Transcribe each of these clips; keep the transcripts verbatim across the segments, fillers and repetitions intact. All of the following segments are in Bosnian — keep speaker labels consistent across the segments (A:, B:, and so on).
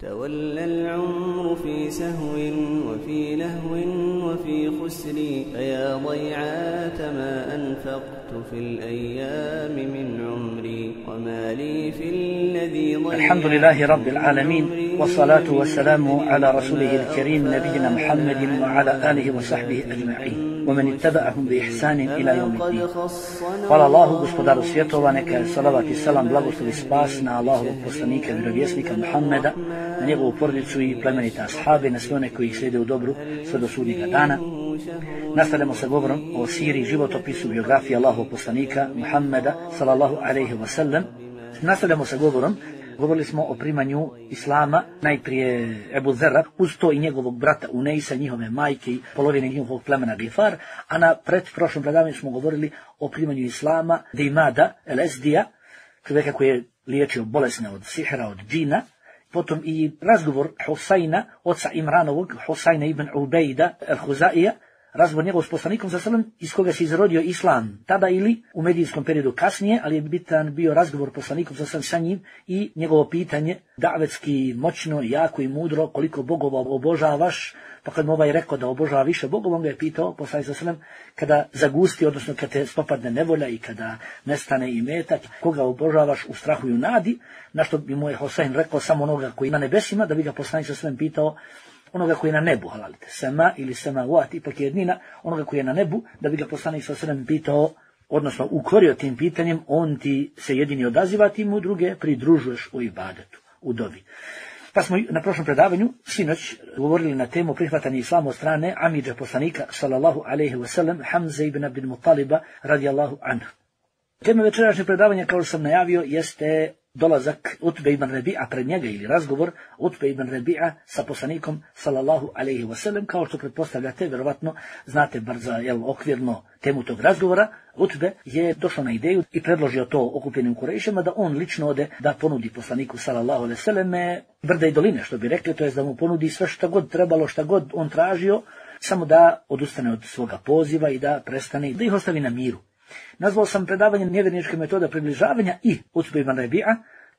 A: تولى العمر في سهو وفي لهو وفي خسر فيا ضيعات ما أنفقت في الأيام من عمري وما لي في الذي ضيعت.
B: الحمد لله رب العالمين والصلاة والسلام على رسوله الكريم نبينا محمد وعلى آله وصحبه أجمعين ومن اتبعهم بإحسان إلى يوم الدين. Hvala Allahu, gospodaru svjetova, neka je salavat i salam, blagoslov i spas na Allahovog poslanika i vjerovjesnika Muhammeda, na njegovu porodicu i plemenite ashabe, na sve one koji ih slijede u dobru sve do sudnjega dana. Nastavljamo sa govorom o siri, životopisu, biografiji Allahovog poslanika Muhammeda sallallahu alejhi ve sellem. Nastavljamo sa govorom. Govorili smo o primanju islama, najprije Ebu Zerra, uz to i njegovog brata Unejsa, njihove majke i polovine njihovog plemena Gifar, a na pred prošlom predavanju smo govorili o primanju islama Dimada el Ezdija, čovjeka koji je liječio bolesne od sihra, od džina, potom i razgovor Husajna, oca Imranovog, Husajna ibn Ubejda el-Huzaija, razgovor njegov s poslanikom sa selem, iz koga se izrodio islam tada ili u medijskom periodu kasnije, ali je bitan bio razgovor poslanikom sa selem sa njim i njegovo pitanje, davetski, moćno, jako i mudro, koliko bogova obožavaš, pa kad mu ovaj rekao da obožava više bogova, on ga je pitao, poslanik sa selem, kada zagusti, odnosno kada te spopadne nevolja i kada nestane imetak, koga obožavaš u strahu i u nadi, na što bi mu je Husain rekao samo onoga koji na nebesima, da bi ga poslanik sa selem pitao onoga koji je na nebu, halalite, sema ili semavat, ipak je jednina, onoga koji je na nebu, da bi ga poslanik sa selem pitao, odnosno ukorio tim pitanjem, on ti se jedini odaziva, ti mu druge pridružuješ u ibadetu, u dovi. Pa smo na prošlom predavanju, sinoć, govorili na temu prihvatanja islama od strane amidža poslanika, sallallahu alejhi ve sellem, Hamze ibn Abdul Mutaliba, radijallahu anhu. Tema večerašnje predavanja, kao što sam najavio, jeste dolazak Utbe ibn Rabi'a pred njega ili razgovor Utbe ibn Rabi'a sa poslanikom sallallahu alejhi ve sellem, kao što pretpostavljate, vjerovatno znate bar za jel, okvirno temu tog razgovora. Utbe je došao na ideju i predložio to okupljenim Kurejšima da on lično ode da ponudi poslaniku sallallahu alejhi ve selleme brda i doline, što bi rekli, to je da mu ponudi sve što god trebalo, šta god on tražio, samo da odustane od svoga poziva i da prestane, da ih ostavi na miru. Nazvao sam predavanje nevjerničke metoda približavanja i Utbe ibn Rabi'a.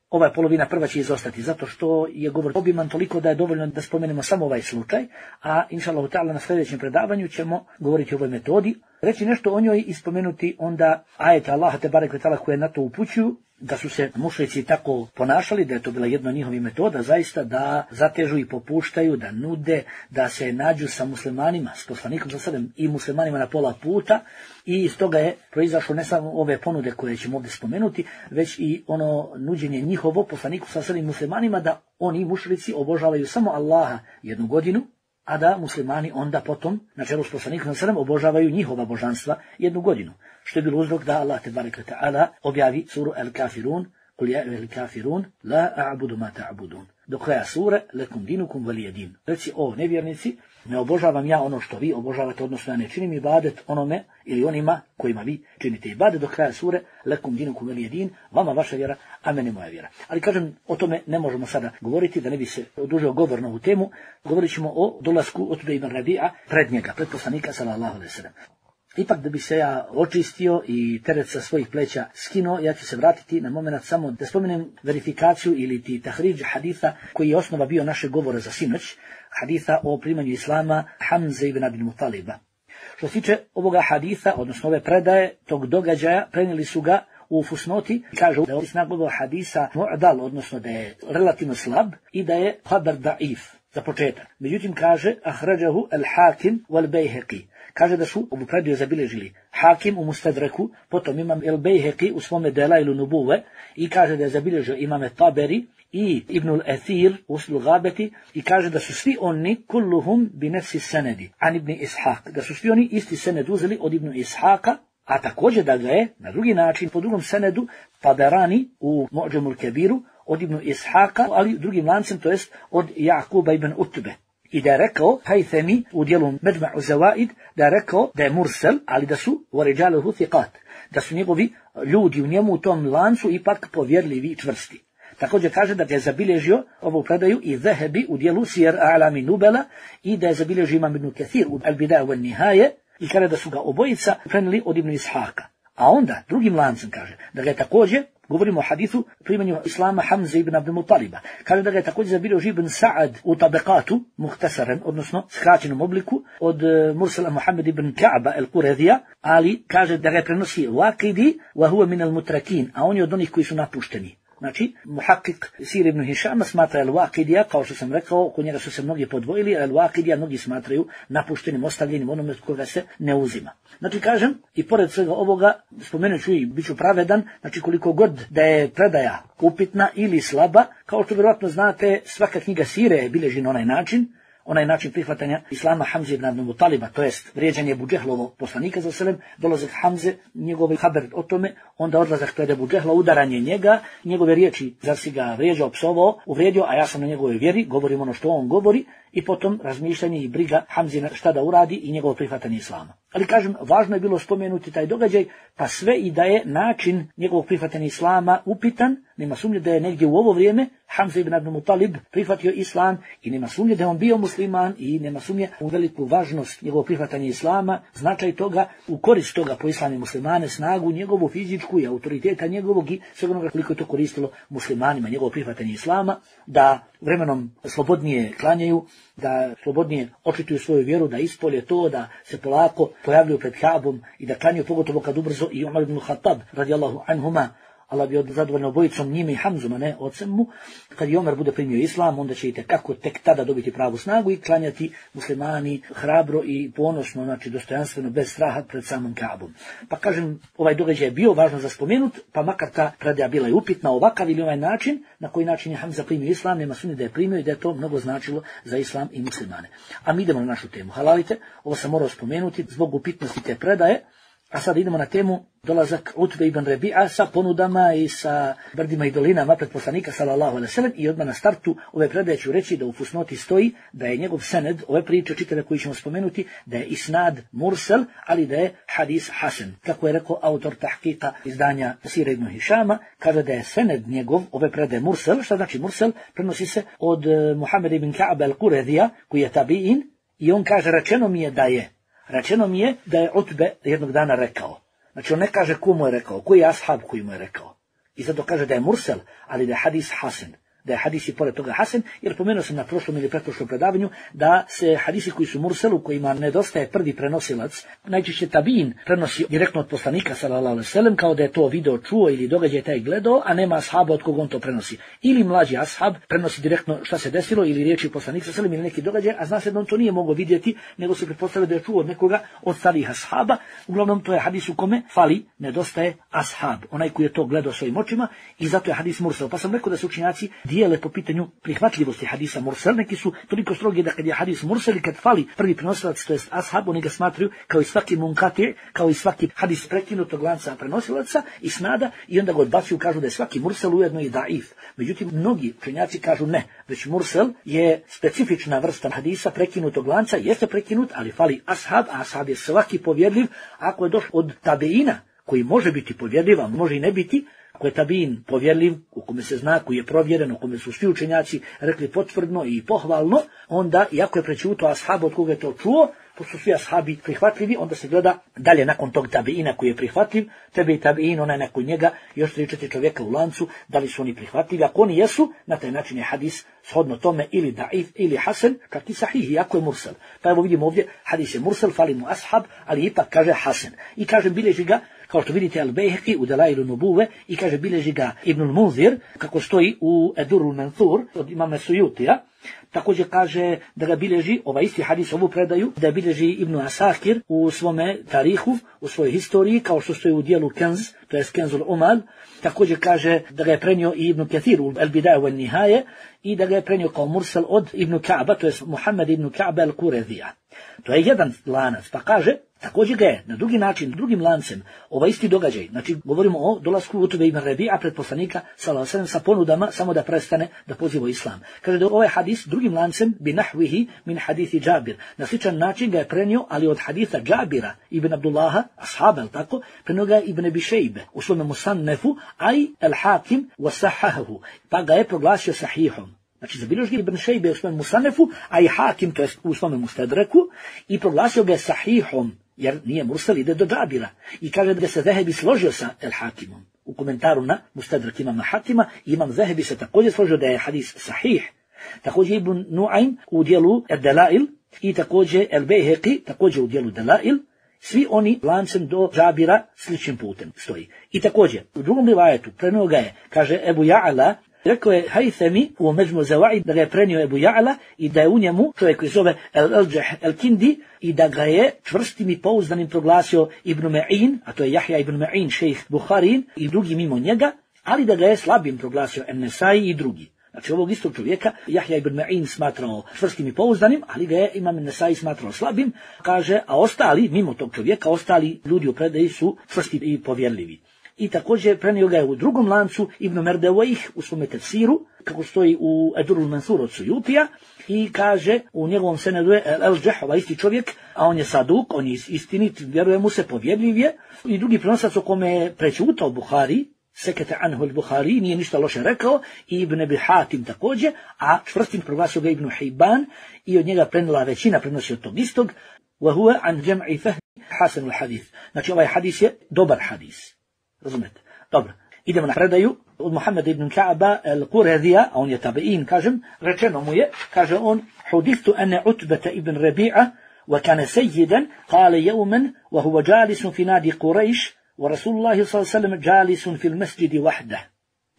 B: Ova polovina prva će izostati, zato što je govor obiman toliko da je dovoljno da spomenemo samo ovaj slučaj, a inšallahu ta'ala na sljedećem predavanju ćemo govoriti o ovoj metodi, reći nešto o njoj i spomenuti onda ajete Allaha te barek ve ta'ala koje na to upućuju, da su se mušrici tako ponašali, da je to bila jedna od njihovih metoda, zaista da zatežu i popuštaju, da nude, da se nađu sa muslimanima, s poslanikom sa selem i muslimanima na pola puta, i iz toga je proizašlo ne samo ove ponude koje ćemo ovdje spomenuti, već i ono nuđenje njihovo poslaniku sa selem muslimanima da oni mušrici obožavaju samo Allaha jednu godinu, a da muslimani onda potom, na čelu s poslanikom sa selem, obožavaju njihova božanstva jednu godinu. Što je bilo uzrok da Allah te barek ve ta'ala objavi suru El-Kafirun, kul ja el-kafirun, la a'budu ma ta'budun. Do kraja sure, lekum dinukum valijedin. Reci, o nevjernici, ne obožavam ja ono što vi obožavate, odnosno ja ne činim ibadet onome ili onima kojima vi činite ibadet. Do kraja sure, lekum dinukum valijedin, vama vaša vjera, a mene moja vjera. Ali kažem, o tome ne možemo sada govoriti, da ne bi se odužio govor na ovu temu. Govorit ćemo o dolasku Utbe ibn Rabi'a pred njega, pred poslanika sallallahu alejhi ve sellem. Ipak da bi se ja očistio i teret sa svojih pleća skinuo, ja ću se vratiti na moment samo da spomenem verifikaciju ili ti tahriđ haditha koji je osnova bio naše govora za sinoć, haditha o primanju islama Hamze ibn Abdul Mutaliba. Što se tiče ovoga haditha, odnosno ove predaje, tog događaja, prenijeli su ga u fusnoti, kažu da je snag ovog hadisa mu'dal, odnosno da je relativno slab i da je habar da'if za početak. Međutim kaže ahrađahu al-Hakim wal-Bejheqi. Kaže da su ovu predaju zabilježili Hakim u Mustadreku, potom imam el-Bejheqi u svome Delailu Nubuve i kaže da je zabilježio imame Taberi i Ibnul Athir u Usul Gabeti i kaže da su svi oni kulluhum bi nefsi senedi an Ibn Ishaq, da su svi oni isti sened uzeli od Ibn Ishaqa, a također da ga je na drugi način po drugom senedu Taberani u Mu'đamul Kebiru od Ibn Ishaqa, ali drugim lancem, to jest od Jakuba ibn Utbe. I da je rekao Haythami u dijelu Medma'u Zawaid, da je rekao da je mursel, ali da su warijaluhu thiqat, da su njegovi ljudi u njemu u tom lancu ipak povjerljivi i čvrsti. Također kaže da ga je zabilježio ovu predaju i Zahebi u dijelu Sijer A'lami Nubala i da je zabilježio imam Ibn Kathir u Al-Bidaja wal Nihaje i kaže da su ga obojica prenijeli od Ibn Ishaqa. A onda drugim lancem kaže da ga je također govorimo o hadisu primanju islama Hamze ibn Abdul Mutaliba. Kaže da ga je također zabilježio Ibn Sa'ad u Tabekatu, muhtasaran, odnosno skraćenom obliku, od Mursala Muhammed ibn Ka'ba el-Quredija, ali kaže da ga je prenosi Waqidi, wa huwa min al-mutrakin, a on je od onih koji su napušteni. Znači, muhakik Sir ibn Hišama smatra el-Waqidija, kao što sam rekao, kod njega su se mnogi podvojili, el-Waqidija mnogi smatraju napuštenim, ostavljenim, onome koga se ne uzima. Znači, kažem, i pored svega ovoga, spomenut ću i bit ću pravedan, znači koliko god da je predaja upitna ili slaba, kao što vjerojatno znate, svaka knjiga Sire je bilježi na onaj način, onaj način prihvatanja islama Hamze ibn Abdul Mutaliba, to jest vrijeđanje Ebu Džehlovog poslanika za selem, dolazak Hamze, njegov haber o tome, onda odlazak pred Ebu Džehla, udaranje njega, njegove riječi, zar si ga vrijeđao, psovao, uvrijedio, a ja sam na njegove vjeri, govorim ono što on govori, i potom razmišljanje i briga Hamzina šta da uradi i njegovo prihvatanje islama. Ali kažem, važno je bilo spomenuti taj događaj, pa sve i da je način njegovog prihvatanja islama upitan, nema sumnje da je negdje u ovo vrijeme Hamza ibn Abdul Mutalib prihvatio islam i nema sumnje da je on bio musliman i nema sumnje u veliku važnost njegovog prihvatanja islama, značaj toga, u korist toga po islami muslimane, snagu njegovu fizičku i autoriteta njegovog i sve onoga koliko je to koristilo muslimanima, njegovo prihvatanje islama, da vremenom slobodnije klanjaju, da slobodnije očituju svoju vjeru, da ispolje to, da se polako pojavljuju pred Kaabom i da klanjaju, pogotovo kad ubrzo i Umar ibn Khattab radijallahu anhuma, Allah bi zadovoljno obojicom njime i Hamzom, a ne ocem mu, kad i Omer bude primio islam, onda će i tekako tek tada dobiti pravu snagu i klanjati muslimani hrabro i ponosno, znači dostojanstveno, bez straha pred samom Kaabom. Pa kažem, ovaj događaj je bio važno za spomenut, pa makar ta predaja bila i upitna ovakav ili ovaj način, na koji način je Hamza primio islam, nema sumnje da je primio i da je to mnogo značilo za islam i muslimane. A mi idemo na našu temu. Halalite, ovo sam morao spomenuti zbog upitnosti te predaje. A sad idemo na temu dolazak Utbe ibn Rebi'a sa ponudama i sa brdima i dolinama pred poslanika sallallahu alejhi ve sellem i odmah na startu ove predaje ću reći da u fusnoti stoji da je njegov sened, ove priče čitave koji ćemo spomenuti, da je isnad mursel, ali da je hadis hasan. Kako je rekao autor tahkika izdanja Sira ibn Hišama, kaže da je sened njegov, ove predaje mursel. Šta znači mursel? Prenosi se od Muhammed ibn Ka'ba al-Quredija, koji je tabi'in, i on kaže, rečeno mi je da je Rečeno mi je da je Utbe jednog dana rekao. Znači on ne kaže ko mu je rekao, koji je ashab koji mu je rekao. I zato kaže da je mursel, ali da je hadis hasan. Da je hadis i pored toga hasan, jer pomenuo sam na prošlom ili pretprošlom predavanju da se hadisi koji su mursel, u kojima nedostaje prvi prenosilac, najčešće tabin prenosi direktno od poslanika sallallahu alejhi ve sellem, kao da je to video čuo ili događaj taj gledao, a nema ashaba od koga on to prenosi. Ili mlađi ashab prenosi direktno šta se desilo ili riječi poslanika sallallahu alejhi ve sellem ili neki događaj, a zna se da on to nije mogao vidjeti, nego se pretpostavlja da je čuo od nekoga od starih ashaba. Uglavnom to je hadis u kome fali, nedostaje ashab, onaj koji je to gledao svojim očima, i zato je hadis mursel. Pa sam rekao da su učenjaci dijele po pitanju prihvatljivosti hadisa mursel. Neki su toliko strogi da kad je hadis mursel i kad fali prvi prenosilac, to jest ashab, oni ga smatraju kao i svaki munkati, kao i svaki hadis prekinutog lanca prenosilaca i snada, i onda ga odbacuju, kažu da je svaki mursel ujedno i daif. Međutim, mnogi učenjaci kažu ne, već mursel je specifična vrsta hadisa prekinutog lanca, jeste prekinut, ali fali ashab, a ashab je svaki povjerljiv ako je došao od tabeina, koji može biti povjerljiv, a može i ne biti. Ako je tabin povjerljiv, u kome se zna, koji je provjeren, u kome su svi učenjaci rekli potvrdno i pohvalno, onda, iako je prećuto ashab od koga je to čuo, pošto su svi ashabi prihvatljivi, onda se gleda dalje nakon tog tabiina koji je prihvatljiv, tebe i tabiin, onaj nakon njega, još tri četiri čovjeka u lancu, da li su oni prihvatljivi. Ako oni jesu, na taj način je hadis shodno tome ili daif ili hasan, čak i sahih, iako je mursal. Pa evo vidimo ovdje, hadis je mursal, fali mu ashab, ali ipak kaže hasan. I kaže, bilježi ga, kao što vidite, Al-Bejheki u Delailu Nubuve, i kaže, bilježi ga Ibnul Munzir, kako stoji u Edurul Manthur od imama Sujutija. Također kaže da ga bilježi, ovaj isti hadis, ovu predaju, da bilježi Ibn Asakir u svome tarihu, u svojoj historiji, kao što stoji u dijelu Kenz, to je Kenzul Umal. Također kaže da ga je prenio i Ibn Kathir u Al-Bidaje wa Nihaje i da ga je prenio kao mursal od Ibn Ka'ba, to je Muhammed ibn Ka'ba al-Quredija. To je jedan lanac, pa kaže, također ga je na drugi način, drugim lancem, ovaj isti događaj, znači govorimo o dolasku Utbe ibn Rebi'a pred poslanika sallallahu alejhi ve sellem sa ponudama samo da prestane da poziva islam. Kaže da ovaj hadis drugim lancem bi nahwihi min hadithi Džabir. Na sličan način ga je prenio, ali od haditha Džabira ibn Abdullaha, ashaba, tako, prenio ga ibn Abi Šejbe u svome musannefu, aj al-Hakim wasahahu, pa ga je proglasio sahihom. Znači, zabilježi Ibn Šejbe u svome musanefu, a i Hakim, to je u svome mustadreku, i proglasio ga sahihom. jer nije mursal, ide do Džabira. I kaže da se Zehebi složio sa El Hakimom. U komentaru na Mustadrak imama Hakima, imam Zehebi se također složio da je hadis sahih. Također Ibn Nuaym u dijelu Delail i također El Bejheqi, također u dijelu Delail, svi oni lancem do Džabira sličnim putem stoji. I također, u drugom rivajetu prenio ga je, kaže Ebu Ja'ala, rekao je Haythami u Međmu Zawaid da ga je prenio Ebu Ja'ala i da je u njemu čovjek koji zove El-Aljah El-Kindi i da ga je čvrstim i pouzdanim proglasio Ibn Ma'in, a to je Jahja Ibn Ma'in, šejh Buharin i drugi mimo njega, ali da ga je slabim proglasio En-Nesai i drugi. Znači ovog istog čovjeka Jahja ibn Ma'in smatrao čvrstim i pouzdanim, ali ga je imam Nesai smatrao slabim, kaže, a ostali, mimo tog čovjeka, ostali ljudi u predaji su čvrsti i povjerljivi. I također prenio ga je u drugom lancu Ibn Merdewejh u svome tefsiru, kako stoji u Edurul Mansur od Sujutija, i kaže u njegovom senedu je El-Džeh, ovaj isti čovjek, a on je saduk, on je istinit, vjeruje mu se, povjerljiv je, i drugi prenosac o kome je prećutao Buhari, Sekete anhu al-Buhari, nije ništa loše rekao, i Ibn Abi Hatim također, a čvrstim proglasio ga Ibn Hibban i od njega prenila većina, prenosi od tog istog, wa huwa an jam'i fahmi hasan al-hadith. Znači ovaj hadis je dobar hadis. Razumete? Dobro. Idemo na predaju od Muhammeda ibn Ka'ba al-Quradija, a on je tabi'in, kažem, rečeno mu je, kaže on, hudithtu ane Utbata ibn Rabi'a, wa kana sayyidan, qala yawman, wa huwa jalisun fi nadi Quraysh, ورسول الله صلى الله عليه وسلم جالس في المسجد وحده.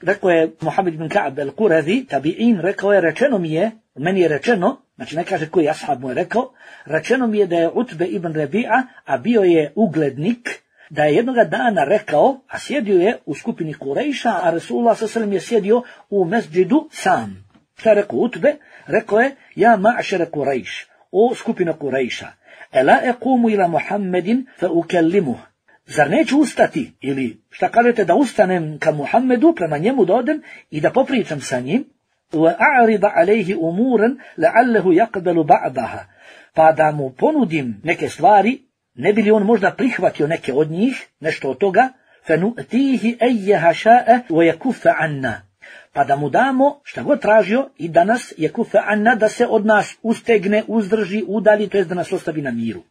B: Rekao je Muhammed ibn Ka'b al-Qurazi, tabi'in, rekao je, rečeno mi je, meni je rečeno, znači ne kaže koji ashab mu je rekao, rečeno mi je da je Utbe ibn Rabi'a, a bio je uglednik, da je jednoga dana rekao, a sjedio je u skupini Kurejša, a Rasulullah sallallahu alejhi ve sellem je sjedio u mesdžidu sam. Šta je rekao Utbe? Rekao je, ja ma'šere Kurejš, o skupina Kurejša, ela equmu ila Muhammedin fa ukellimuh. Zar neću ustati, ili šta kažete da ustanem ka Muhammedu, prema njemu da odem i da popričam sa njim, wa a'rida alayhi umuran la'allahu yaqbalu ba'daha, pa da mu ponudim neke stvari, ne bi li on možda prihvatio neke od njih, nešto od toga, fanu'tihi ayyaha sha'a wa yakuffa anna, pa da mu damo šta god tražio i da nas yakuffa anna, da se od nas ustegne, uzdrži, udalji, to jest da nas ostavi na miru.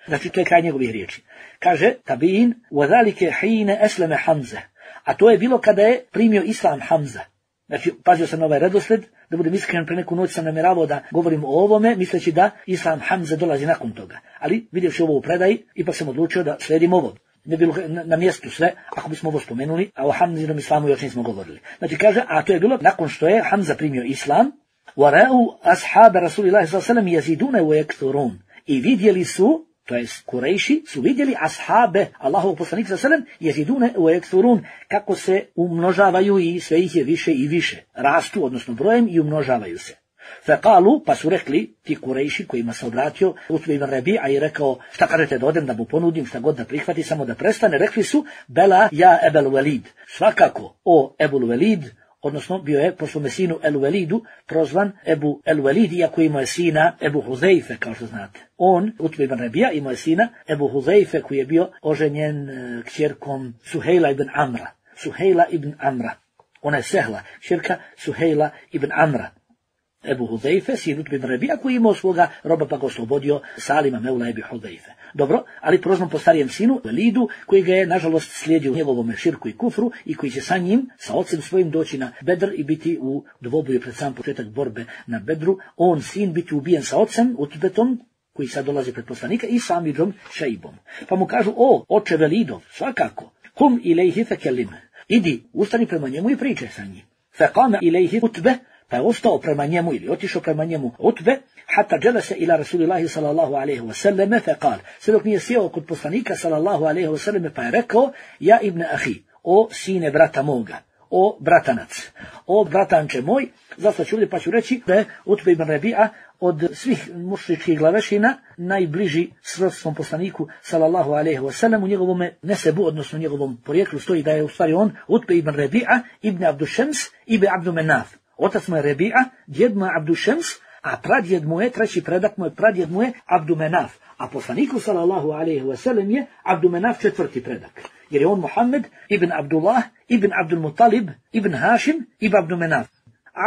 B: Znači, to je kraj njegovih riječi. Kaže, tabi'in, وَذَلِكَ حِينَ أَسْلَمَ Hamza. A to je bilo kada je primio islam Hamza. Znači, pazio sam na ovaj redosled, da budem iskren, pre neku noć sam namjeravao da govorim o ovome, misleći da islam Hamza dolazi nakon toga. Ali, vidjevši ovo u predaji, ipak sam odlučio da sledim ovo. Ne bilo na, na mjestu sve, ako bismo ovo spomenuli, a o Hamzinom islamu još nismo govorili. Znači, kaže, a to je bilo nakon što je Hamza primio islam, وَرَأُوا أَصْحَابَ رَسُولِ اللَّهِ صَلَّى اللَّهُ عَلَيْهِ وَسَلَّمَ يَزِيدُونَ وَيَكْثُرُونَ. I vidjeli su, to je Kurejši, su vidjeli ashabe Allahovog poslanika sallallahu alejhi ve sellem jezidune u ekthurun, kako se umnožavaju i sve ih je više i više. Rastu, odnosno brojem, i umnožavaju se. Fekalu, pa su rekli ti Kurejši kojima se obratio Utbe ibn Rabi'a i rekao, šta kažete da odem da mu ponudim, šta god da prihvati, samo da prestane, rekli su, bela ja Ebel Velid, svakako o Ebul Velid, odnosno bio je po svome sinu El Velidu prozvan Ebu El Velid, iako imao je sina Ebu Huzeife, kao što znate. On, Utbe ibn Rabija, imao je sina Ebu Huzeife, koji je bio oženjen e, kćerkom Suhejla ibn Amra. Suhejla ibn Amra. Ona je Sehla, kćerka Suhejla ibn Amra. Ebu Huzeife, sin Utbe ibn Rabija, koji imao svoga roba pa ga oslobodio Salima Meula Ebi Huzeife. Dobro, ali prozvan po starijem sinu, Velidu, koji ga je, nažalost, slijedio u njegovom širku i kufru i koji će sa njim, sa ocem svojim doći na Bedr i biti u dvoboju pred sam početak borbe na Bedru. On, sin, biti ubijen sa ocem, Utbetom, koji sad dolazi pred poslanika, i Samidžom Šeibom. Pa mu kažu, o, oče Velidov, svakako, kum ilejhi fekelim, idi, ustani prema njemu i pričaj sa njim. Fekame ilejhi Utbe, pa je ostao prema njemu ili otišao prema njemu Utbe, hatta dželese ila Rasulillahi sallallahu alaihi wa sallame, fe kal, sve dok nije sjeo kod poslanika sallallahu alaihi wa sallame, pa je rekao, ja ibn ahi, o sine brata moga, o bratanac, o bratanče moj, zašto ću ovdje pa ću reći da je Utbe ibn Rabi'a od svih mušričkih glavešina najbliži srodstvom poslaniku sallallahu alaihi wa sallam, u njegovom nesebu, odnosno u njegovom porijeklu stoji da je u stvari on Utbe ibn Rabi'a ibn Abdu Šems ibn Abdu Menaf. Otac mu je Rabi'a, djed mu je Abdu Šems, a pradjed mu je, treći predak mu je, pradjed mu je Abdu Menaf. A poslaniku sallallahu alaihi wa sallam je Abdu Menaf četvrti predak. Jer je on Muhammed ibn Abdullah, ibn Abdul Muttalib, ibn Hašim, ibn Abdu Menaf.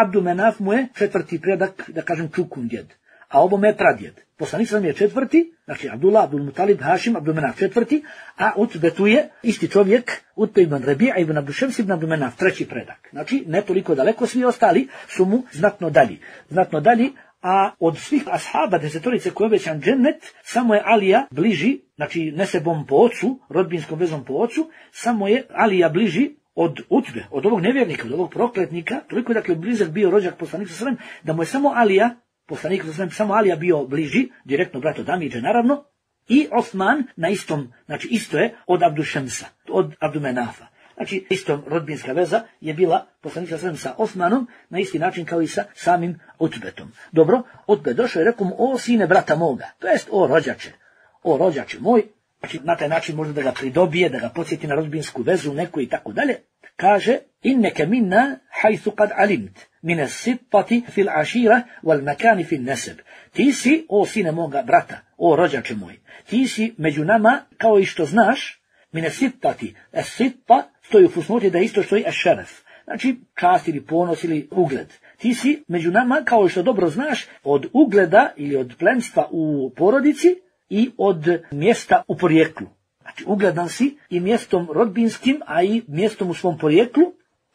B: Abdu Menaf mu je četvrti predak, da kažem čukun djed. a ovome je pradjed. Poslanik sallallahu alejhi ve sellem je četvrti, znači Abdullah, Abdul Mutalib, Hašim, Abdul Menaf četvrti, a Utbetu je isti čovjek, Utbe ibn Rabija ibn Abdul Šems ibn Abdul Menaf, treći predak. Znači ne toliko daleko, svi ostali su mu znatno dalji. Znatno dalji, a od svih ashaba desetorice koji je obećan džennet, samo je Alija bliži, znači nesebom po ocu, rodbinskom vezom po ocu, samo je Alija bliži od Utbe, od ovog nevjernika, od ovog prokletnika, toliko je dakle blizak bio rođak poslanika sallallahu alejhi ve sellem, da mu je samo Alija, poslanik sallallahu alejhi ve sellem, samo Alija bio bliži, direktno brat od Amidže naravno, i Osman na istom, znači isto je od Abdu Šemsa, od Abdu Menafa. Znači isto rodbinska veza je bila poslanik sallallahu alejhi ve sellem sa Osmanom na isti način kao i sa samim Utbetom. Dobro, Utbe došao i rekao mu: o sine brata moga, to jest o rođače, o rođače moj. Znači, na taj način možda da ga pridobije, da ga podsjeti na rodbinsku vezu neku i tako dalje. Kaže: inneke minna hajthu kad alimt, mine sitpati fil ašira wal makani fil neseb. Ti si, o sine moga brata, o rođače moj, ti si među nama kao i što znaš, mine sitpati, es sitpa stoji u fusnoti da isto stoji es šeref. Znači, čast ili ponos ili ugled. Ti si među nama kao i što dobro znaš od ugleda ili od plemstva u porodici, i od mjesta u porijeklu. Znači, ugledan si i mjestom rodbinskim, a i mjestom u svom porijeklu.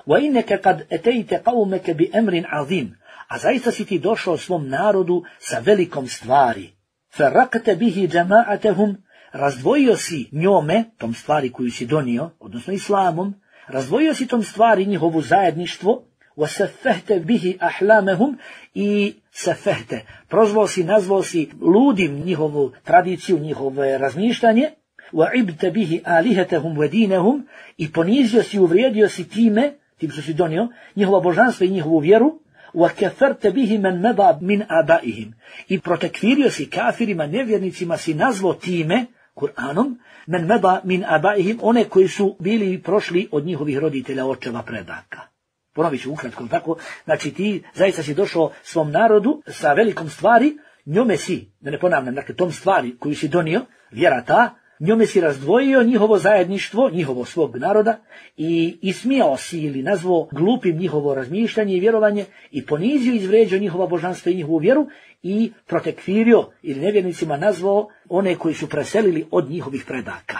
B: Wa inneke kad etejte qaumeke bi emrin azim. A zaista si ti došao svom narodu sa velikom stvari. Farraqte bihi jama'atehum. Razdvojio si njome, tom stvari koju si donio, odnosno islamom, razdvojio si tom stvari njihovu zajedništvo, وَسَفَّهْتَ بِهِ أَحْلَامَهُمْ i sefehte, prozvao si, nazvao si ludim njihovu tradiciju, njihove razmišljanje, وَعِبْتَ بِهِ آلِهَتَهُمْ وَدِينَهُمْ i ponizio si, uvrijedio si time, tim što si donio, njihova božanstva i njihovu vjeru, وَكَفَرْتَ بِهِ مَنْ مَضَى مِنْ آبَائِهِمْ i protekvirio si kafirima, nevjernicima si nazvao time, Kur'anom, men meda min abaihim, one koji su bili i prošli od njihovih roditelja, očeva, predaka. Ponovit ću ukratko, tako, znači ti zaista si došao svom narodu sa velikom stvari, njome si, da ne ponavljam, dakle tom stvari koju si donio, vjera ta, njome si razdvojio njihovo zajedništvo, njihovo svog naroda i ismijao si ili nazvao glupim njihovo razmišljanje i vjerovanje i ponizio i izvređao njihova božanstva i njihovu vjeru i protekvirio ili nevjernicima nazvao one koji su preselili od njihovih predaka.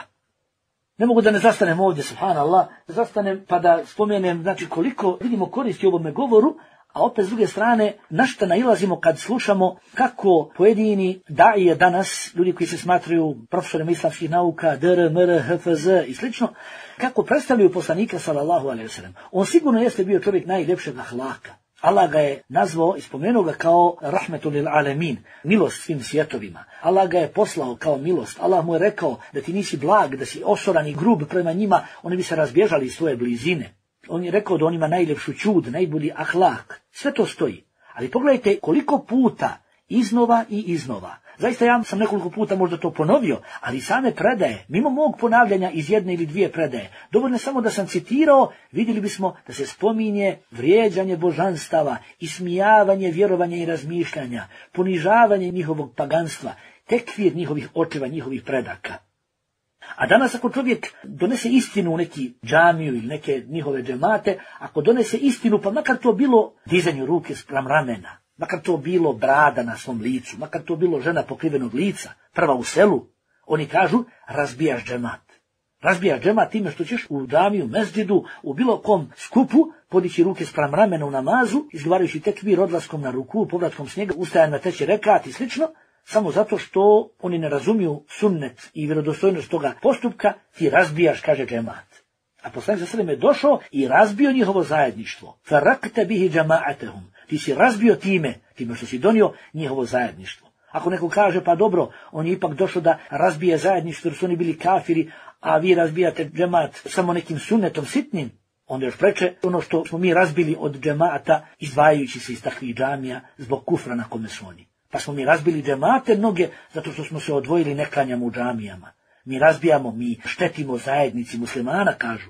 B: Ne mogu da ne zastanem ovdje, subhanallah, da zastanem pa da spomenem, znači koliko vidimo koristi u ovome govoru, a opet s druge strane, na šta nailazimo kad slušamo kako pojedini daije danas, ljudi koji se smatraju profesorima islamskih nauka, D R, M R, H F Z i slično, kako predstavljaju poslanika sallallahu alejhi ve sellem. On sigurno jeste bio čovjek najljepšeg ahlaka. Allah ga je nazvao i spomenuo ga kao rahmetul lil alemin, milost svim svjetovima. Allah ga je poslao kao milost. Allah mu je rekao da ti nisi blag, da si osoran i grub prema njima, oni bi se razbježali iz svoje blizine. On je rekao da on ima najljepšu čud, najbolji ahlak. Sve to stoji. Ali pogledajte koliko puta iznova i iznova. Zaista ja sam nekoliko puta možda to ponovio, ali same predaje, mimo mog ponavljanja iz jedne ili dvije predaje, dovoljno samo da sam citirao, vidjeli bismo da se spominje vrijeđanje božanstava, ismijavanje vjerovanja i razmišljanja, ponižavanje njihovog paganstva, tekfir njihovih očeva, njihovih predaka. A danas ako čovjek donese istinu u neki džamiju ili neke njihove džemate, ako donese istinu, pa makar to bilo dizanju ruke spram ramena, makar to bilo brada na svom licu, makar to bilo žena pokrivenog lica, prva u selu, oni kažu razbijaš džemat. Razbijaš džemat time što ćeš u džamiju, mezđidu, u bilo kom skupu podići ruke spram ramena u namazu, izgovarajući tekbir odlaskom na ruku, povratkom s njega, ustajan na treći rekat i slično, samo zato što oni ne razumiju sunnet i vjerodostojnost toga postupka, ti razbijaš, kaže džemat. A poslanik sallallahu alejhi ve sellem je došao i razbio njihovo zajedništvo. Farraqta bihi jama'atahum. Ti si razbio time, time što si donio njihovo zajedništvo. Ako neko kaže, pa dobro, on je ipak došao da razbije zajedništvo jer su oni bili kafiri, a vi razbijate džemat samo nekim sunnetom sitnim, onda još preče ono što smo mi razbili od džemata, izdvajajući se iz takvih džamija zbog kufra na kome su oni. Pa smo mi razbili džemate mnoge zato što smo se odvojili, ne klanjamo u džamijama. Mi razbijamo, mi štetimo zajednici muslimana, kažu.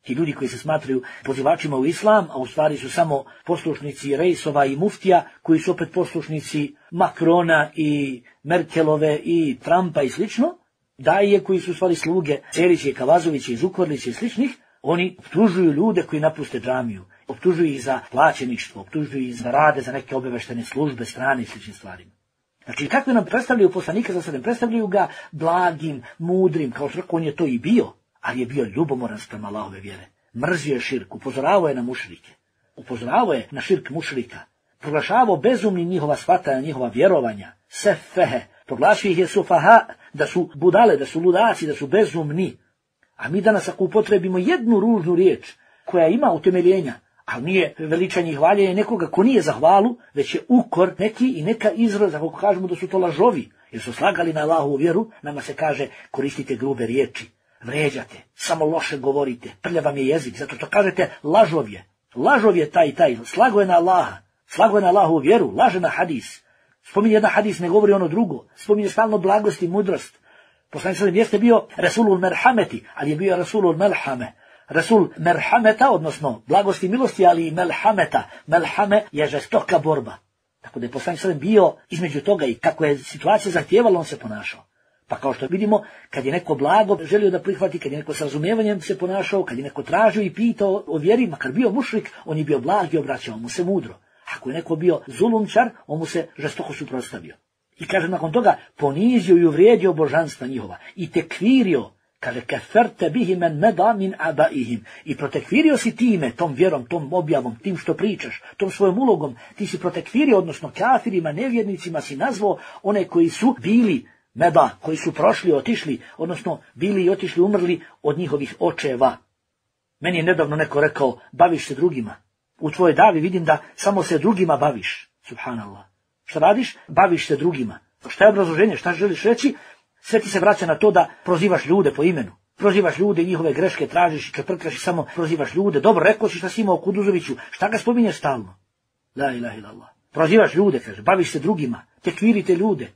B: Ti ljudi koji se smatraju pozivačima u islam, a u stvari su samo poslušnici Rejsova i Muftija, koji su opet poslušnici Makrona i Merkelove i Trumpa i slično, daje koji su u stvari sluge Cerića i Kavazovića i Zukorlića i sličnih, oni optužuju ljude koji napuste džamiju, optužuju ih za plaćeništvo, optužuju ih za rade za neke obaveštene službe, strane i sličnim stvarima. Znači, kako nam predstavljaju poslanika za sebe? Predstavljaju ga blagim, mudrim, kao što on je to i bio, ali je bio ljubomoran sprem Allahove vjere. Mrzio je širk, upozoravao je na mušrike. Upozoravao je na širk mušrika. Proglašavao bezumni njihova shvatanja, njihova vjerovanja. Sefehe. Proglašio ih je sufaha, da su budale, da su ludaci, da su bezumni. A mi danas ako upotrebimo jednu ružnu riječ koja ima utemeljenja, ali nije veličanje i hvaljenje nekoga ko nije za hvalu, već je ukor neki i neka izraz, ako kažemo da su to lažovi, jer su slagali na Allahovu vjeru, nama se kaže koristite grube riječi, vređate, samo loše govorite, prljav vam je jezik, zato što kažete lažov je, lažov je taj i taj, slago je na Allaha, slago je na Allahovu vjeru, laže na hadis. Spominje jedan hadis, ne govori ono drugo, spominje stalno blagost i mudrost. Poslanik sallallahu alejhi ve sellem jeste bio Rasulul Merhameti, ali je bio Rasulul Melhame. Rasul Merhameta, odnosno blagosti i milosti, ali i Melhameta. Melhame je žestoka borba. Tako da je poslanik sallallahu alejhi ve sellem bio između toga i kako je situacija zahtijevala, on se ponašao. Pa kao što vidimo, kad je neko blago želio da prihvati, kad je neko s razumijevanjem se ponašao, kad je neko tražio i pitao o vjeri, makar bio mušrik, on je bio blag i obraćao mu se mudro. Ako je neko bio zulumčar, on mu se žestoko suprotstavio. I kaže nakon toga, ponizio i uvrijedio božanstva njihova i tekvirio, kaže, keferte bihi men meda min abaihim, i protekvirio si time, tom vjerom, tom objavom, tim što pričaš, tom svojom ulogom, ti si protekvirio, odnosno kafirima, nevjernicima si nazvao one koji su bili meda, koji su prošli, otišli, odnosno bili i otišli, umrli od njihovih očeva. Meni je nedavno neko rekao, baviš se drugima. U tvojoj davi vidim da samo se drugima baviš. Subhanallah. Šta radiš? Baviš se drugima. Šta je obrazloženje? Šta želiš reći? Sve ti se vraća na to da prozivaš ljude po imenu. Prozivaš ljude i njihove greške tražiš i čeprkaš i samo prozivaš ljude. Dobro, rekao si šta si imao u Kuduzoviću. Šta ga spominješ stalno? La ilaha illallah. Prozivaš ljude, kaže. Baviš se drugima. Tekvirite ljude.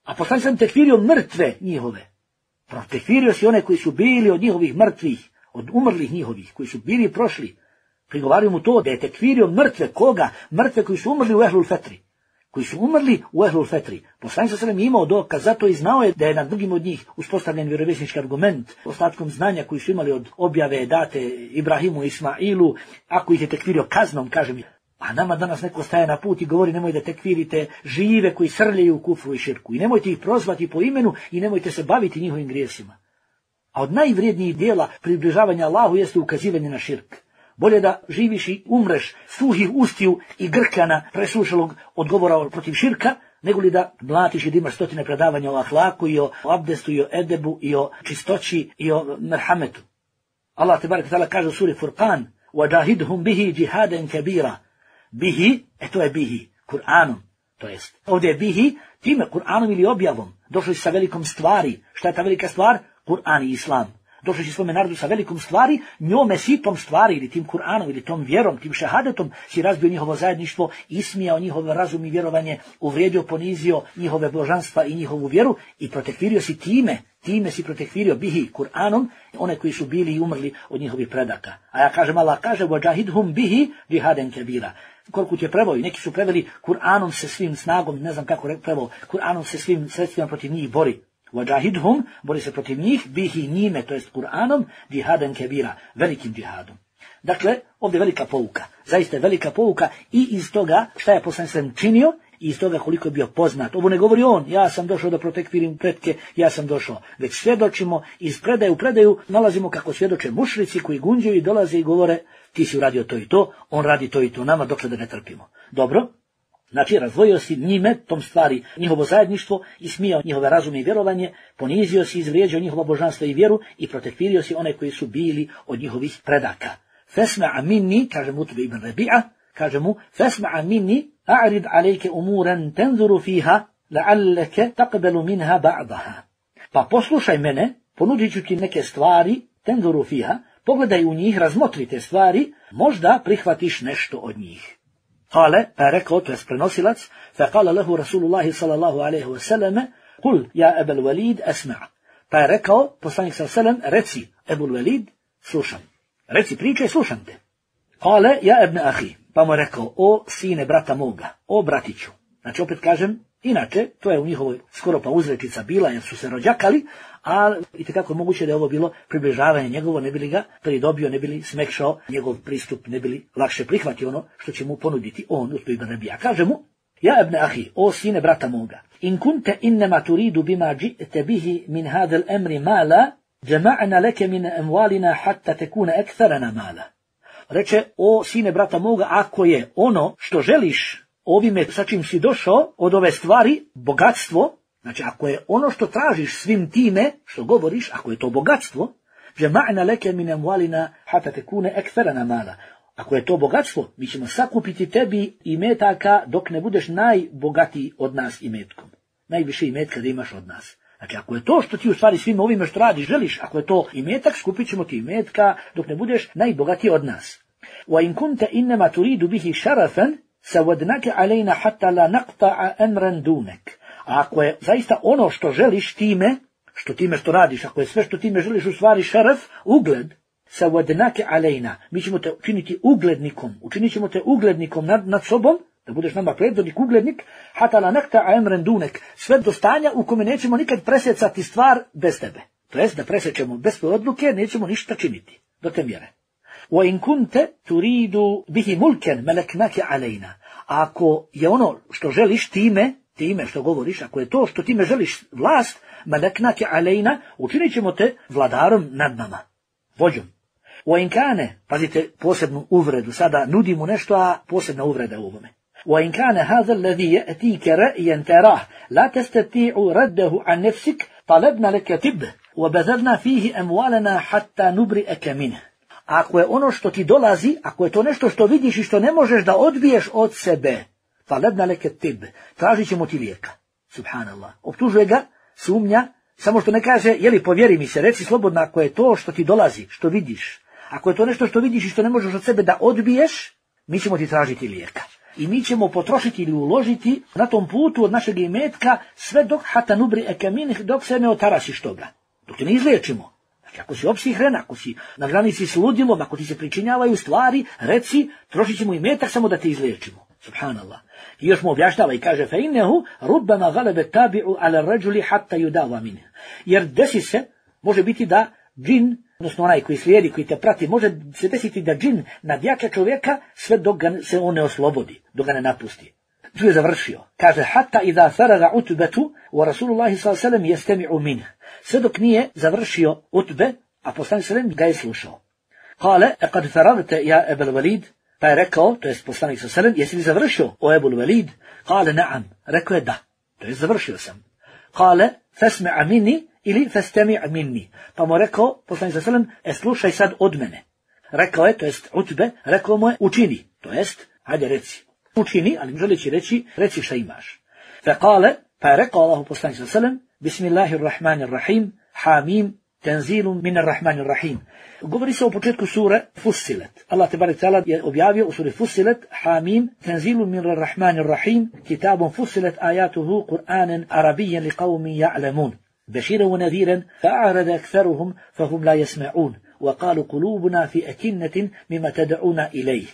B: A poslanik sam tekvirio mrtve njihove. Tekvirio si one koji su bili od njihovih mrtvih, od umrlih njihovih, koji su bili i prošli. Prigovaraju mu to da je tekvirio mrtve koga? Mrtve koji su umrli u Ehlul Fetri. Koji su umrli u Ehlul Fetri. Poslanik sallallahu alejhi ve sellem imao dokaz, zato i znao je da je na drugim od njih uspostavljen vjerovjesnički argument, ostatkom znanja koji su imali od objave date Ibrahimu i Ismailu, ako ih je tekvirio kaznom, kažem. A nama danas neko staje na put i govori nemoj da tekvirite žive koji srljaju u kufru i širku. I nemojte ih prozvati po imenu i nemojte se baviti njihovim grijesima. A od najvrijednijih dijela približavanja Allahu jeste ukazivanje na širk. Bolje da živiš i umreš suhih ustiju i grkana presušalog odgovora protiv širka, nego li da mlatiš i da imaš stotine predavanja o ahlaku i o abdestu i o edebu i o čistoći i o merhametu. Allah tebareke ta'ala kaže u suri Furqan: وَجَاهِدْهُمْ بِهِ جِهَادًا كَبِيرًا. Bihi, e to je bihi, Kur'anom, to jest. Ovdje je bihi, time Kur'anom ili objavom. Došli sa velikom stvari. Šta je ta velika stvar? Kur'an i Islam. Došli si svome narodu sa velikom stvari, njome si tom stvari ili tim Kur'anom ili tom vjerom, tim šehadetom si razbio njihovo zajedništvo, ismijao njihov razum i vjerovanje, uvrijedio, ponizio njihove božanstva i njihovu vjeru i protekvirio si time, time si protekvirio bihi Kur'anom one koji su bili i umrli od njihovih predaka. A ja kažem, Allah kaže, وَجَاهِدْهُمْ بِهِ جِهَادًا كَبِيرًا. Koliko je preveo, neki su preveli Kur'anom se svim snagom, ne znam kako preveo, Kur'anom se svim sredstvima protiv njih bori. Wajahidhum, bori se protiv njih, bihi njime, to jest Kur'anom, džihadan kebira, velikim džihadom. Dakle, ovdje je velika pouka, zaista je velika pouka i iz toga šta je poslanik sallallahu alejhi ve sellem činio, i iz toga koliko je bio poznat. Ovo ne govori on, ja sam došao da protekvirim pretke, ja sam došao. Već svjedočimo, iz predaje u predaju nalazimo kako svjedoče mušrici koji gunđaju i dolaze i govore, ti si uradio to i to, on radi to i to nama, dokle da ne trpimo. Dobro? Znači, razdvojio si njime, tom stvari, njihovo zajedništvo, ismijao njihove razume i vjerovanje, ponizio si, izvrijeđao njihova božanstva i vjeru i protekvirio si one koji su bili od njihovih predaka. Fesma'a minni, kaže mu Utbe ibn Rabi'a, kaže mu, fesma'a minni, a'rid alejke umuran tenzuru fiha, la'alleke taqbelu minha ba'daha. Pa poslušaj mene, ponudit ću ti neke stvari, tenzuru fiha, pogledaj u njih, razmotri te stvari, možda prihvatiš nešto od njih. Kale, pa je rekao, to je prenosilac, fa kale lehu Rasulullahi sallallahu alaihi wa sallam, kul, ja Ebel Walid, esma'. Pa je rekao, poslanik sallallahu alaihi wa sallam, reci, Ebul Walid, slušam. Reci, pričaj, slušam te. Kale, ja ibn ahi, pa mu je rekao, o sine brata moga, o bratiću. Znači, opet kažem, inače, to je u njihovoj skoro pa uzrečica bila, jer su se rođakali, a i tekako moguće da je ovo bilo približavanje njegovo, ne bi li ga pridobio, ne bi li smekšao njegov pristup, ne bi li lakše prihvatio ono što će mu ponuditi on, Utbe ibn Rabija. Kaže mu, Ja ibn ahi, o sine brata moga, in kunte innama turidu bima ji'te bihi min hada al-amri mala, jama'na leke min amwalina hatta tekune ektharana mala. Reče, o sine brata moga, ako je ono što želiš ovime sa čim si došao od ove stvari, bogatstvo, znači ako je ono što tražiš svim time što govoriš, ako je to bogatstvo, jama'na leke min amwalina hatta tekune ektharana mala. Ako je to bogatstvo, mi ćemo sakupiti tebi imetaka dok ne budeš najbogatiji od nas imetkom. Najviše imetka da imaš od nas. Znači, ako je to što ti u stvari svim ovime što radiš želiš, ako je to imetak, skupit ćemo ti imetka dok ne budeš najbogatiji od nas. Wa in kunta innama turidu bihi sharafan, sawadnaka alejna hatta la naqta'a amran dunak. A ako je zaista ono što želiš time, što time što radiš, ako je sve što time želiš u stvari šaraf, ugled, sawadnaka alejna, mi ćemo te učiniti uglednikom, učinit ćemo te uglednikom nad, nad sobom, da budeš nama predvodnik, uglednik, hatta la naqta'a amran dunak, sve do stanja u kome nećemo nikad presjecati stvar bez tebe. To jest da presjećemo bez tvoje odluke, nećemo ništa činiti, do te mjere. Wa in kunta turidu bihi mulkan malaknaka alejna. Ako je ono što želiš time, time što govoriš, ako je to što time želiš vlast, malaknaka alejna, učinit ćemo te vladarom nad nama, vođom. Wa in kane, pazite posebnu uvredu, sada nudimo nešto, a posebna uvreda u ovome. Wa in kane hadha alladhi ya'tika ra'yan tarah la tastati'u raddahu an nafsik talabna laka tib wa badalna fihi amwalana hatta nubri'aka minhu. Ako je ono što ti dolazi, ako je to nešto što vidiš i što ne možeš da odbiješ od sebe, talabna laka tib, tražit ćemo ti lijeka. Subhanallah. Optužuje ga, sumnja, samo što ne kaže, jeli povjeri mi se, reci slobodno ako je to što ti dolazi, što vidiš. Ako je to nešto što vidiš i što ne možeš od sebe da odbiješ, mi ćemo ti tražiti lijeka. I mi ćemo potrošiti ili uložiti na tom putu od našeg imetka sve dok hata nubri ekaminih, dok se ne otarasiš toga. Dok te ne izliječimo. Znači ako si opsihren, ako si na granici s ludilom, ako ti se pričinjavaju stvari, reci, trošit ćemo imetak samo da te izliječimo. Subhanallah. I još mu objašnjava i kaže, fa innehu rubbama galebe tabi'u ala rajuli hatta yudava minhu. Jer desi se, može biti da džin, odnosno onaj koji slijedi, koji te prati, može se desiti da džin nadjača čovjeka sve dok ga se on ne oslobodi, dok ga ne napusti. Tu je završio. Kaže, hatta idha faraga utbetu, wa Rasulullahi sallallahu alejhi ve sellem yastami'u minhu. Sve dok nije završio utbe, a poslanik sallallahu alejhi ve sellem ga je slušao. Kale, e kad faragte ja Ebel Walid, pa je rekao, to je poslanik sallallahu alejhi ve sellem, jesi li završio o Ebul Walid? Kale, naam, rekao je da, to je završio sam. Kale, fasma' minni, ili fastami' minni. Pa mu rekao, poslanik sallallahu alejhi ve sellem, e slušaj sad od mene. Rekao je, to jest utbe, rekao mu je, učini, to jest, hajde reci. Učini, ali želeći reći, reci šta imaš. Fe kale, pa je rekao Allahu poslanik sallallahu alejhi ve sellem, Bismillahirrahmanirrahim, Hamim, tenzilum minarrahmanirrahim. Govori se o početku sure Fussilet. Allah tebarek ta'ala je objavio u suri Fussilet, Hamim, tenzilum minarrahmanirrahim, kitabun Fussilet ajatuhu Kur'anen arabijen li qavmi ja'lamun. بشيرا ونذيرا فأعرض أكثرهم فهم لا يسمعون وقالوا قلوبنا في أكنة مما تدعونا إليه.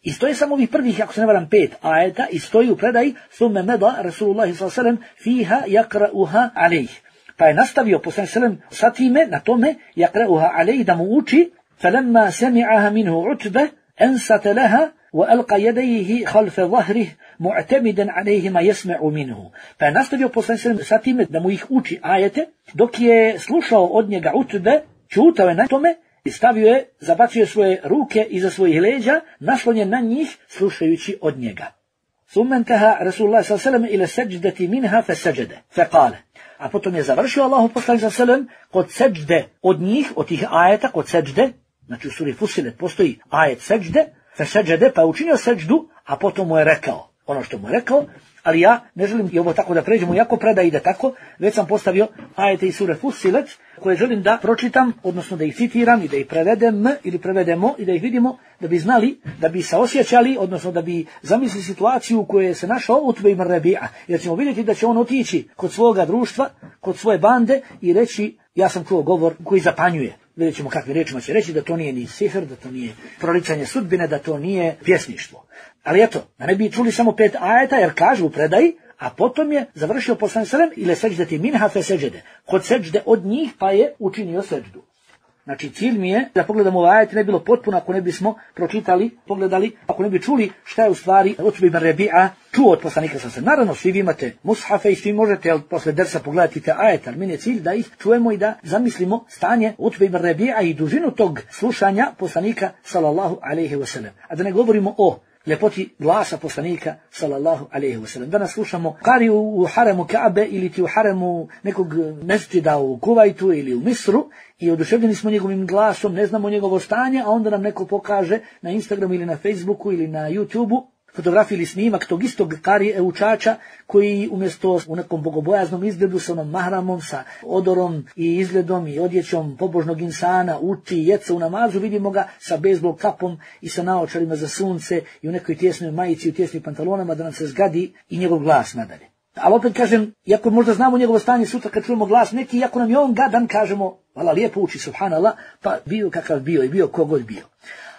B: I stoji samo ovih prvih, ako se ne varam, pet ajeta, i stoji u predaj, ثم مضى رسول الله صلى الله عليه وسلم فيها يقرأها عليه. Pa je nastavio poslanik sallallahu alejhi ve sellem sa time, na tome, يقرأها عليه, da mu uči, فلما سمعها منه عتبة أنصت لها وألقى يديه خلف ظهره معتمدا عليه ما يسمع منه. Pa je nastavio poslanik sallallahu alejhi ve sellem sa time da mu ih uči ajete, dok je slušao od njega Utbe, čutao je na tome i stavio je, zabacio svoje ruke iza svojih leđa, naslonjen na njih, slušajući od njega. ثم انتهى رسول الله صلى الله عليه وسلم إلى السجدة منها فسجد فقال. A potom je završio Allahu poslanik sallallahu alejhi ve sellem kod seđde od njih, od tih ajeta, kod seđde, znači u suri Fussilet postoji ajet seđde, فسجد, pa je učinio seđdu, a potom mu je rekao ono što mu je rekao, ali ja ne želim i ovo tako da pređemo, jako preda ide tako, već sam postavio ajete iz sure Fussilet, koje želim da pročitam, odnosno da ih citiram i da ih prevedem ili prevedemo i da ih vidimo, da bi znali, da bi se osjećali, odnosno da bi zamislili situaciju u kojoj se našao Utbe ibn Rabi'a, jer ćemo vidjeti da će on otići kod svoga društva, kod svoje bande i reći, ja sam čuo govor koji zapanjuje. Vidjet ćemo kakvim riječima će reći da to nije ni sihr, da to nije proricanje sudbine, da to nije pjesništvo. Ali eto, da ne bi čuli samo pet ajeta, jer kažu u predaji, a potom je završio poslanik sallallahu alejhi ve sellem ile seđdeti minha fe seđede. Kod seđde od njih pa je učinio seđdu. Znači cilj mi je da pogledamo ovaj ajet, ne bilo potpuno ako ne bismo pročitali, pogledali, ako ne bi čuli šta je u stvari Utbe ibn Rabi'a čuo od poslanika sa se. Naravno svi vi imate mushafe i svi možete ali posle dersa pogledati te ajet, ali meni je cilj da ih čujemo i da zamislimo stanje Utbe ibn Rabi'a i dužinu tog slušanja poslanika sallallahu alejhi ve sellem. A da ne govorimo o ljepoti glasa poslanika sallallahu alejhi ve sellem. Danas slušamo kari u, u haremu Kaabe ili ti u haremu nekog mesdžida u Kuvajtu ili u Misru i oduševljeni smo njegovim glasom, ne znamo njegovo stanje, a onda nam neko pokaže na Instagramu ili na Facebooku ili na YouTubeu fotografiju ili snimak tog istog karije učača koji umjesto u nekom bogobojaznom izgledu sa onom mahramom, sa odorom i izgledom i odjećom pobožnog insana uči jeca u namazu, vidimo ga sa bejzbol kapom i sa naočarima za sunce i u nekoj tjesnoj majici, u tjesnim pantalonama da nam se zgadi i njegov glas nadalje. Ali opet kažem, iako možda znamo njegovo stanje sutra kad čujemo glas neki, iako nam je on gadan, kažemo, vala lijepo uči, subhanallah, pa bio kakav bio i bio kogod bio.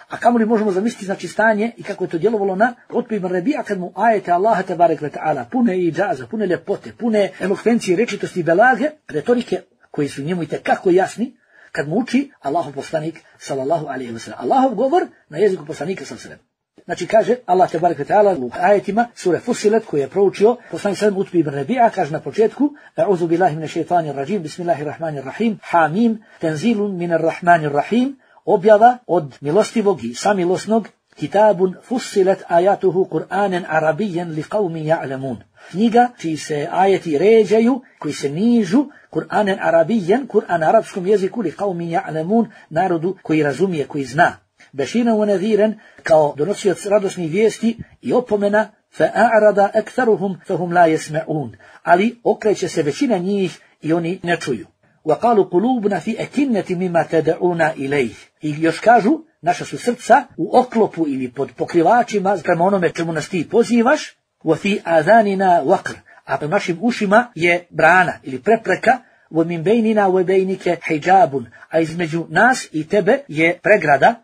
B: A kamo li možemo zamisliti znači stanje i kako je to djelovalo na Utbe ibn Rabi'a kad mu ajete Allaha tebarek ve ta'ala pune i džaza, pune ljepote, pune elokvencije, rečitosti i belage, retorike koji su njemu itekako jasni, kad mu uči Allahov poslanik sallallahu alejhi ve sellem. Allahov govor na jeziku poslanika sallallahu alejhi ve sellem. Znači kaže Allah tebarek ve ta'ala u ajetima sure Fussilet koji je proučio poslanik sallallahu Utbe ibn Rabi'a, kaže na početku A'udhu billahi minash shaitanir rajim, bismillahirrahmanirrahim, Hamim, tanzilun minar rahmanir rahim, objava od milostivog i samilosnog, kitabun fussilet ajatuhu Kur'anen arabijen li qavmi ja'lamun. Knjiga čiji se ajeti ređaju, koji se nižu, Kur'anen arabijen, Kur'an arapskom jeziku li qavmi ja'lamun, narodu koji razumije, koji zna. Beširan wa nadhiran, kao donosioc radosnih vijesti i opomena, fa'a'rada aktharuhum fahum la yasma'un. Ali okreće se većina njih i oni ne čuju. وَقَالُوا قُلُوبُنَا فِي أَكِنَّةٍ مِمَّا تَدْعُونَا إِلَيْهِ. I još kažu, naša su srca u oklopu ili pod pokrivačima prema onome čemu nas ti pozivaš, وَفِي آذَانِنَا وَقْرٌ. A prema našim ušima je brana ili prepreka, وَمِنْ بَيْنِنَا وَبَيْنِكَ حِجَابٌ. A između nas i tebe je pregrada,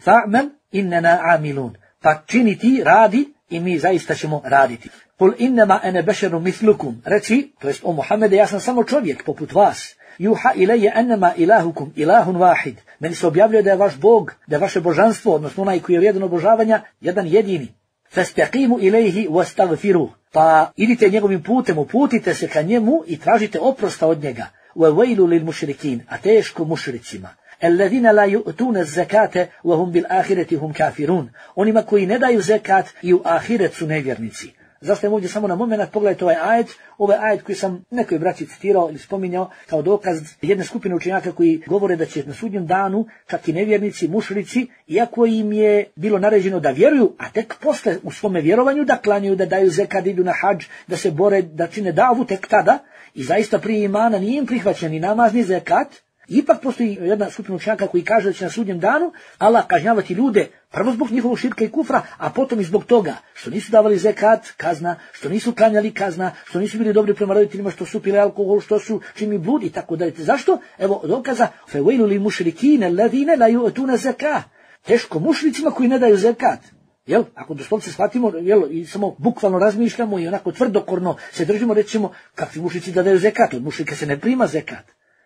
B: فَعْمَلْ إِنَّنَا عَامِلُونَ. Pa čini ti, radi i mi zaista ćemo raditi. قُلْ إِنَّمَا أَنَا بَشَرٌ مِثْلُكُمْ. Reci, to jest o Muhammede, ja sam samo čovjek poput vas. Juha ilaje annama ilahukum ilahun wahid. Meni se objavljuje da je vaš Bog, da je vaše božanstvo, odnosno onaj koji je vrijedan obožavanja, jedan jedini. Fastaqimu ilayhi wastaghfiruh. Pa idite njegovim putem, uputite se ka njemu i tražite oprosta od njega. Wa wailu lil mushrikin, a teško mušricima. Alladhina la yu'tuna az-zakata wa hum bil akhirati hum kafirun. Onima koji ne daju zekat i u ahiret su nevjernici. Zašto ovdje samo na moment pogledajte ovaj ajet, ovaj ajet koji sam nekoj braći citirao ili spominjao kao dokaz jedne skupine učenjaka koji govore da će na sudnjem danu čak i nevjernici, mušrici, iako im je bilo naređeno da vjeruju, a tek posle u svome vjerovanju da klanjaju, da daju zekad, idu na hadž, da se bore, da čine davu tek tada, i zaista prije imana nije im prihvaćen ni namaz ni zekat, ipak postoji jedna skupina učenjaka koji kaže da će na sudnjem danu Allah kažnjavati ljude prvo zbog njihovog širka i kufra, a potom i zbog toga što nisu davali zekat, kazna, što nisu klanjali, kazna, što nisu bili dobri prema roditeljima, što su pili alkohol, što su činili blud i tako dalje. Zašto? Evo dokaza fawailu lil mušrikina alladhina la yu'tuna zakah. Teško mušricima koji ne daju zekat. Jel, ako doslovce shvatimo, jel, i samo bukvalno razmišljamo i onako tvrdokorno se držimo, rećemo kakvi mušrici da daju zekat, od mušrika se ne prima zekat.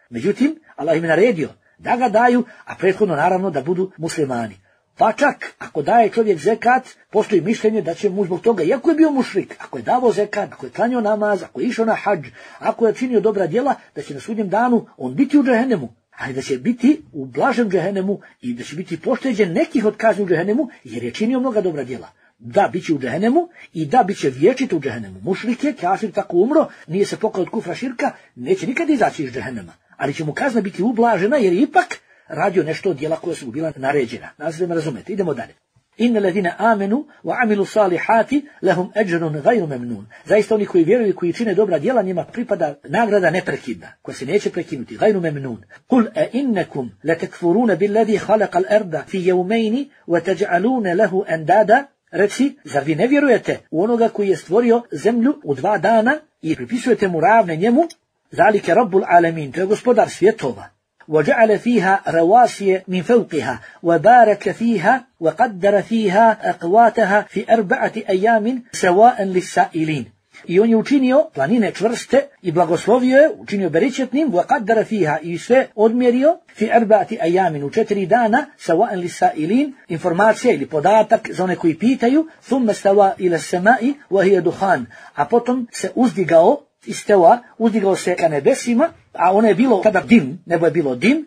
B: Međutim, Allah im je naredio da ga daju, a prethodno naravno da budu muslimani. Pa čak, ako daje čovjek zekat, postoji mišljenje da će mu zbog toga, iako je bio mušrik, ako je davao zekat, ako je klanjao namaz, ako je išao na hadž, ako je činio dobra djela, da će na sudnjem danu on biti u džehennemu, ali da će biti u blažem džehennemu i da će biti pošteđen nekih od kazni u džehennemu, jer je činio mnoga dobra djela. Da, bit će u džehennemu i da, bit će vječit u džehennemu. Mušrik je, kafir tako umro, nije se pokao od kufra širka, neće nikad izaći iz džehennema. Ali će mu kazna biti ublažena jer ipak radio nešto od djela koja su bila naređena. Nazvijemo razumete. Idemo dalje. Inna ladina amenu wa amilu salihati lahum ajrun ghayru mamnun. Zaista oni koji vjeruju i koji čine dobra djela njima pripada nagrada neprekidna, koja se neće prekinuti. Ghayru mamnun. Qul a innakum latakfuruna billadhi khalaqa al-arda fi yawmayn wa taj'aluna lahu andada. Reci, zar vi ne vjerujete u onoga koji je stvorio zemlju u dva dana i pripisujete mu ravne njemu? Zalike rabbul alamin, to je gospodar svjetova. وجعل فيها رواسي من فوقها وبارك فيها وقدر فيها أقواتها في أربعة أيام سواء للسائلين. I on je učinio planine čvrste i blagoslovio je, učinio beričetnim, وَقَدَّرَ فِيهَا i sve odmjerio, fi arba'ati ayamin u četiri dana, sawa'an lis-sa'ilin, informacija ili podatak za one koji pitaju, thumma stawa ila as-sama'i wa hiya dukhan, a potom se uzdigao, istawa, uzdigao se ka nebesima, a ono je bilo kada dim, nebo je bilo dim,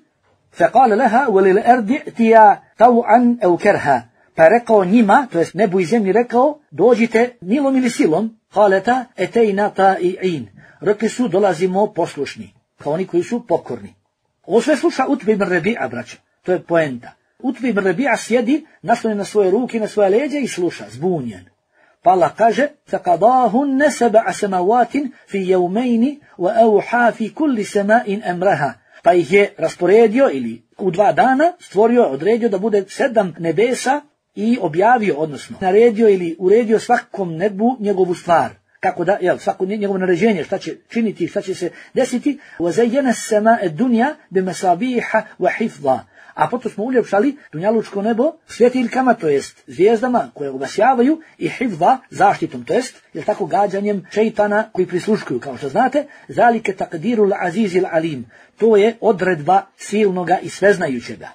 B: فَقَالَ لَهَا وَلِلْأَرْضِ ائْتِيَا طَوْعًا أَوْ كَرْهًا, pa je rekao njima, to jest nebu i zemlji rekao, dođite milom ili silom, قَالَتَا أَتَيْنَا طَائِعِينَ, rekli su dolazimo poslušni, kao oni koji su pokorni. Ovo sve sluša Utbe ibn Rabi'a, braća, to je poenta. Utbe ibn Rabi'a sjedi, naslonjen na svoje ruke, na svoje leđe i sluša, zbunjen. Pa Allah kaže, فَقَضَاهُنَّ سَبَعَ سَمَوَاتٍ فِي يَوْمَيْنِ وَأَوْحَا فِي كُلِّ سَمَاءٍ أَمْرَهَا, pa ih je rasporedio ili u dva dana stvorio, odredio da bude sedam nebesa i objavio, odnosno naredio ili uredio svakom nebu njegovu stvar. Kako da, jel, svako njegovo naređenje, šta će činiti, šta će se desiti. وَزَيَّنَ السَّمَاءَ الدُّنْيَا بِمَسَابِيحَ وَحِفْظًا, a potom smo uljepšali dunjalučko nebo svjetiljkama, to jest zvijezdama koje obasjavaju, i hifza, zaštitom, to jest, jel tako, gađanjem šeitana koji prisluškuju, kao što znate. Zalike taqdirul azizil alim, to je odredba silnoga i sveznajućega.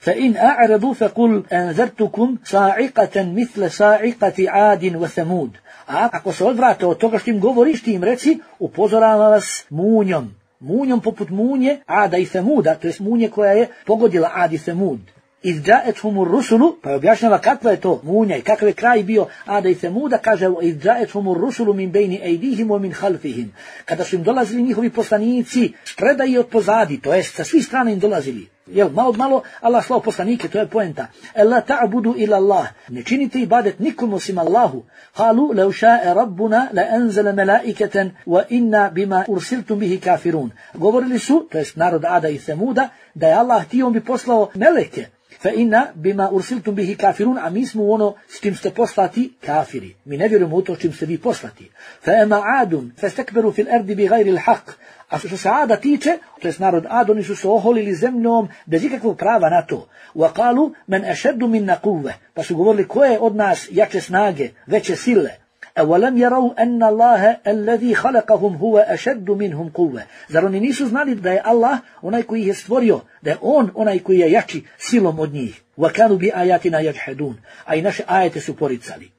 B: فَإِنْ أَعْرَضُوا فَقُلْ أَنذَرْتُكُمْ صَاعِقَةً مِثْلَ صَاعِقَةِ عَادٍ وَثَمُودَ, a ako se odvrate od toga što im govoriš, ti im reci, upozoravam vas munjom, munjom poput munje Ada i Semuda, to jest munje koja je pogodila Ad i Semud. إِذْ جَاءَتْهُمُ الرُّسُلُ, pa objašnjava kakva je to munja i kakav je kraj bio Ada i Semuda, kaže إِذْ جَاءَتْهُمُ الرُّسُلُ مِنْ بَيْنِ أَيْدِيهِمْ وَمِنْ خَلْفِهِمْ, kada su im dolazili njihovi poslanici spreda i od pozadi, to jest sa svih strana im dolazili. Jel, malo malo Allah slao poslanike, to je poenta. Ela ta'budu ila Allah, ne činite ibadet nikom osim Allahu. Halu, leu ša'e rabbuna la enzele melaiketen wa inna bima ursiltum bihi kafirun. Govorili su, to jest narod Ada i Semuda, da je Allah htio, on bi poslao meleke. Fa inna bima ursiltum bihi kafirun, a mi smo ono s čim ste poslati kafiri. Mi ne vjerujemo u to s čim ste vi poslati. Fa ema adun, fastakberu fil ardi bi gajri l'haq. A što se Ada tiče, to jest narod Ad, oni su se oholili zemljom bez ikakvog prava na to. Wa qalu man ashaddu minna quwwa, pa su govorili ko je od nas jače snage, veće sile. أَوَلَمْ يَرَوْا أَنَّ اللَّهَ الَّذِي خَلَقَهُمْ هُوَ أَشَدُّ مِنْهُمْ قُوَّةً, zar oni nisu znali da je Allah onaj koji ih je stvorio, da je on onaj koji je jači silom od njih. وَكَانُوا بِآيَاتِنَا يَجْحَدُونَ, a i naše ajete su poricali.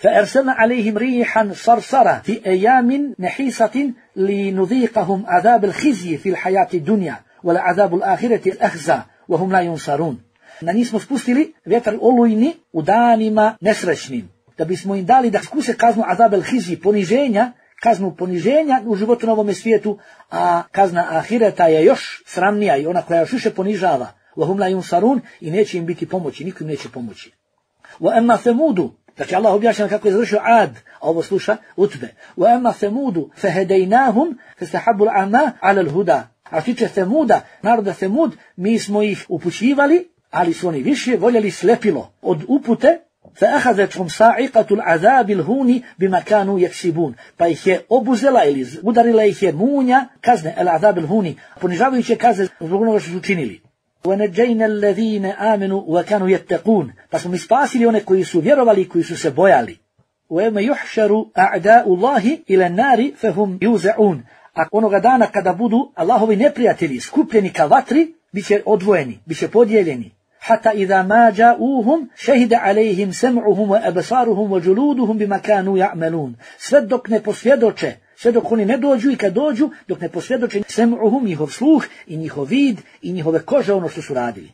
B: فَأَرْسَلْنَا عَلَيْهِمْ رِيحًا صَرْصَرًا فِي أَيَّامٍ نَحِيسَةٍ لِنُذِيقَهُمْ عَذَابَ الْخِزْيِ فِي الْحَيَاةِ الدُّنْيَا وَلَعَذَابُ الْآخِرَةِ الْأَخْزَى وَهُمْ لَا يُنصَرُونَ. Na njih smo spustili vjetar olujni u danima nesrećnim, da bismo im dali da skuse kaznu azab el-hizji, poniženja, kaznu poniženja u životu na ovome svijetu, a kazna ahireta je još sramnija i ona koja još više ponižava. وَهُمْ لَا يُنصَرُونَ, i neće im biti pomoći, niko im neće pomoći. وَأَمَّا ثَمُودُ, znači Allah objašnjava kako je završio Ad, a ovo sluša Utbe. وَأَمَّا ثَمُودُ فَهَدَيْنَاهُمْ فَاسْتَحَبُّوا الْعَمَى عَلَى الْهُدَى. A što tiče Semuda, naroda Semud, mi smo ih upućivali, ali su oni više voljeli slepilo od upute. فَأَخَذَتْهُمْ صَاعِقَةُ الْعَذَابِ الْهُونِ بِمَا كَانُوا يَكْسِبُونَ, pa ih je obuzela ili udarila ih je munja kazne, الْعَذَابِ الْهُونِ, ponižavajuće kazne zbog onoga što su učinili. وَنَجَّيْنَا الَّذِينَ آمَنُوا وَكَانُوا يَتَّقُونَ, pa smo mi spasili one koji su vjerovali i koji su se bojali. وَيَوْمَ يُحْشَرُ أَعْدَاءُ اللَّهِ إِلَى النَّارِ فَهُمْ يُوزَعُونَ, a onoga dana kada budu Allahovi neprijatelji skupljeni ka vatri, biće odvojeni, biće podijeljeni. حتى إذا ما جاءوهم شهد عليهم سمعهم وأبصارهم وجلودهم بما كانوا يعملون, sve dok ne posvjedoče, sve dok oni ne dođu i kad dođu, dok ne posvjedoče sem'uhum, njihov sluh i njihov vid i njihove kože, ono što su radili.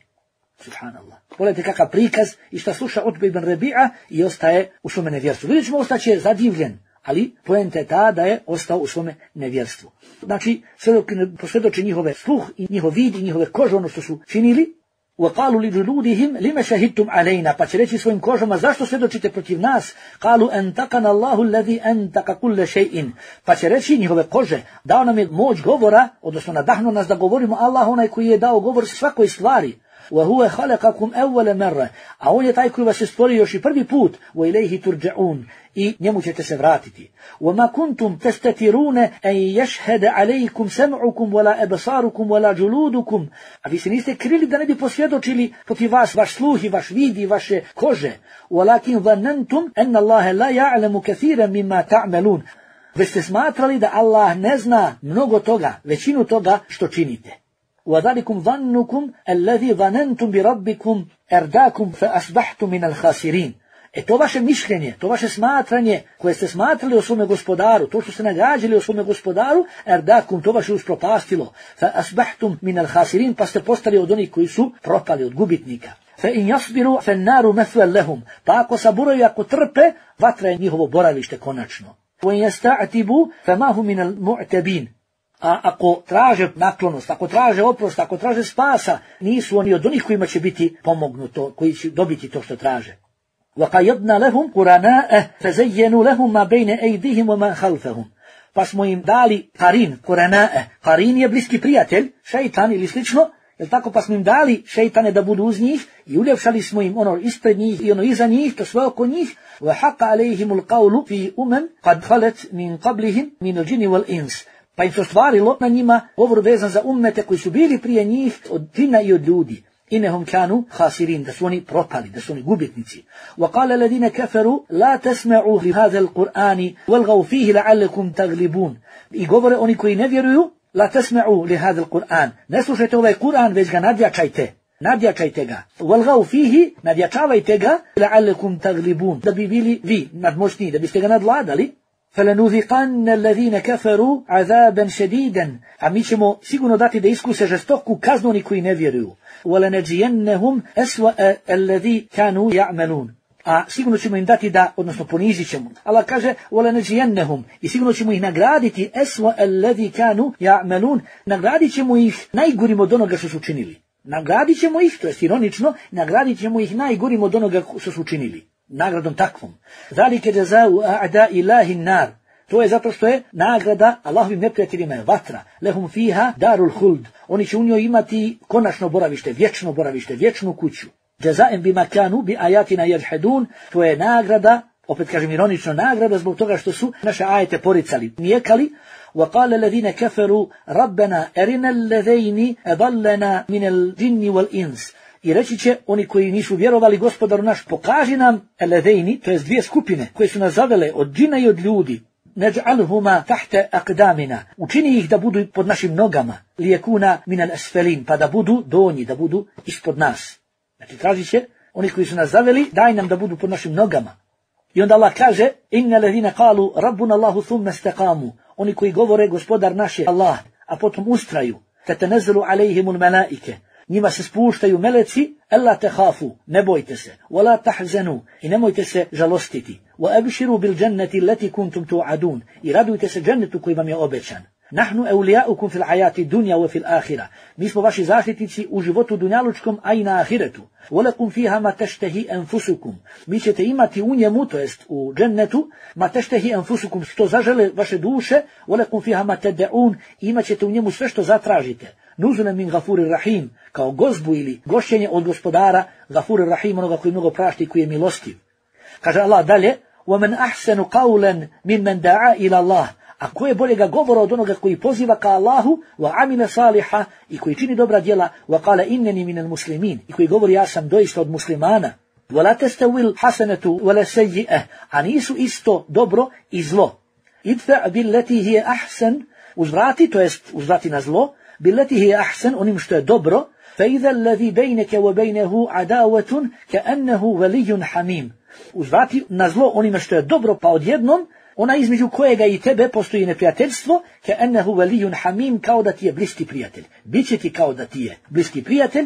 B: Subhanallah. Pogledajte kakav prikaz i šta sluša Utbe ibn Rabi'a i ostaje u svome nevjerstvu. Vidjet ćemo, ostaće zadivljen, ali poenta je ta da je ostao u svome nevjerstvu. Znači, sve dok ne posvjedoče njihove sluh i njihov vid i njihove kože, ono što su činili. وَقَالُوا لِجُلُودِهِمْ لِمَ شَهِدْتُمْ عَلَيْنَا, pa će reći svojim kožama, zašto svjedočite protiv nas? قَالُوا أَنْتَقَنَ اللَّهُ الَّذِي أَنْتَقَ كُلَّ شَيْءٍ, pa će reći njihove kože, dao nam je moć govora, odnosno nadahnuo nas da govorimo, Allah onaj koji je dao govor svakoj stvari. وَهُوَ خَلَقَكُمْ أَوَّلَ مَرَّةٍ, a on je taj koji vas je stvorio još i prvi put. وَإِلَيْهِ تُرْجَعُونَ, i njemu ćete se vratiti. وَمَا كُنْتُمْ تَسْتَتِرُونَ أَنْ يَشْهَدَ عَلَيْكُمْ سَمْعُكُمْ وَلَا أَبْصَارُكُمْ وَلَا جُلُودُكُمْ, a vi se niste krili da ne bi posvjedočili protiv vas vaš sluh i vaš vid i vaše kože. وَلَكِنْ ظَنَّنْتُمْ أَنَّ اللَّهَ لَا يَعْلَمُ كَثِيرًا مِمَّا تَعْمَلُونَ, već ste smatrali da Allah ne zna mnogo toga, većinu toga što činite. وَذَلِكُمْ ظَنُّكُمْ الَّذِي ظَنَنْتُمْ بِرَبِّكُمْ اَرْدَاكُمْ فَأَصْبَحْتُمْ مِنَ الْخَاسِرِينَ. E to vaše mišljenje, to vaše smatranje koje ste smatrali o svome gospodaru, to što ste nagađali o svome gospodaru, erdakum, to vaše uspropastilo. Fa asbahtum min al-khasirin, pa ste postali od onih koji su propali, od gubitnika. Fa in yasbiru fa an-naru mathwan lahum, pa ako saburaju, ako trpe, vatra je njihovo boravište konačno. Wa in yasta'tibu fa ma hum min al-mu'tabin. A ako traže naklonost, ako traže oprost, ako traže spasa, nisu oni od onih kojima će biti pomognuto, koji će dobiti to što traže. وَقَيَدْنَا لَهُمْ قُرَنَاءَ فَزَيَّنُوا لَهُمْ مَا بَيْنَ أَيْدِهِمْ وَمَا خَلْفَهُمْ. Pa smo im dali qarin, قُرَنَاءَ. Qarin je bliski prijatelj, šeitan ili slično, jel tako, pa smo im dali šeitane da budu uz njih i uljepšali smo im ono ispred njih i ono iza njih, to sve oko njih. وَحَقَّ عَلَيْهِمُ الْقَوْلُ فِي أُمَمٍ قَدْ خَلَتْ مِنْ قَبْلِهِمْ مِنَ الْجِنِّ وَالْإِنسِ. Pa im se ostvarilo na njima govor vezan za ummete koji su bili prije njih od džina i od ljudi. Innahum kanu khasirin, da su oni propali, da su oni gubitnici. وقال الذين كفروا لا تسمعوا لهذا القرآن والغوا فيه لعلكم تغلبون. I govore oni koji ne vjeruju, la tasma'u li hadha al-Qur'an. Ne slušajte ovaj Kur'an, već ga nadjačajte. Nadjačajte ga. Walghaw fihi, nadjačavajte ga, la'allakum taglibun, da bi bili vi nadmoćniji, da biste ga nadvladali. فَلَنُذِقَنَّ الَّذِينَ كَفَرُوا عَذَابًا شَدِيدًا. A mi ćemo sigurno dati da iskuse žestoku kaznu oni koji ne vjeruju. وَلَنَجْزِيَنَّهُمْ أَسْوَأَ الَّذِي كَانُوا يَعْمَلُونَ. A sigurno ćemo im dati da, odnosno ponizit ćemo. Allah kaže وَلَنَجْزِيَنَّهُمْ. I sigurno ćemo ih nagraditi أَسْوَأَ الَّذِي كَانُوا يَعْمَلُونَ. Nagradit ćemo ih najgorim od onoga što su činili. Nagradit ćemo ih, to je ironično, nagradit ćemo ih najgorim od onoga što su činili. Nagradom takvom. Zalike jazau a'da ilahi nar. To je zato što je nagrada Allahovim neprijateljima je vatra. Lehum fiha darul huld. Oni će u njoj imati konačno boravište, vječno boravište, vječnu kuću. Jazaem bima kanu bi ayatina yajhadun. To je nagrada, opet kažem ironično, nagrada zbog toga što su naše ajete poricali, nijekali. وقال الذين كفروا ربنا أرنا الذين أضلنا من الجن والإنس. I reći će oni koji nisu vjerovali gospodaru naš, pokaži nam eledejni, to jest dvije skupine koje su nas zavele od džina i od ljudi. Neđ'alhuma tahte akdamina. Učini ih da budu pod našim nogama. Lijekuna minal asfelin, pa da budu donji, da budu ispod nas. Znači traži će oni koji su nas zaveli, daj nam da budu pod našim nogama. I onda Allah kaže, inna ladhina qalu rabbuna Allahu thumma istaqamu. Oni koji govore gospodar naš je Allah, a potom ustraju. Tatanazzalu alejhimul malaike. Njima se spuštaju meleci, alla tehafu, ne bojte se, wala tahzanu, i nemojte se žalostiti, wa abshiru bil jannati allati kuntum tu'adun, i radujte se džennetu koji vam je obećan. Nahnu awliyaukum fil hayati dunya wa fil akhirah. Mi smo vaši zaštitnici u životu dunjalučkom, a i na ahiretu. Walakum fiha ma tashtahi anfusukum. Mi ćete imati u njemu, to jest u džennetu, ma tashtahi anfusukum, što zažele vaše duše, walakum fiha ma tad'un, imat ćete u njemu sve što zatražite. Nuzulan min gafurir rahim, kao gozbu ili gošćenje od gospodara, gafurir rahim, onoga koji mnogo prašta i koji je milostiv. Kaže Allah dalje, وَمَنْ أَحْسَنُ قَوْلًا مِنْ دَعَا إِلَى اللَّهِ. A ko je boljega govora od onoga koji poziva ka Allahu, wa amila saliha, i koji čini dobra djela, wa qala innani minal muslimin, i koji govori ja sam doista od muslimana. Wa la tastawil hasanatu wa la sayyi'ah, a nisu isto dobro i zlo. Idfa billati hiya ahsan, uzvrati, to jest uzvrati na zlo, billati hiya ahsan, onim što je dobro, fa idha alladhi baynaka wa baynahu adawatun ka'annahu waliyyun hamim. Uzvrati na zlo onime što je dobro, pa odjednom ona između kojega i tebe postoji neprijateljstvo, ka'annahu waliyyun hamim, kao da ti je bliski prijatelj. Biće ti kao da ti je bliski prijatelj.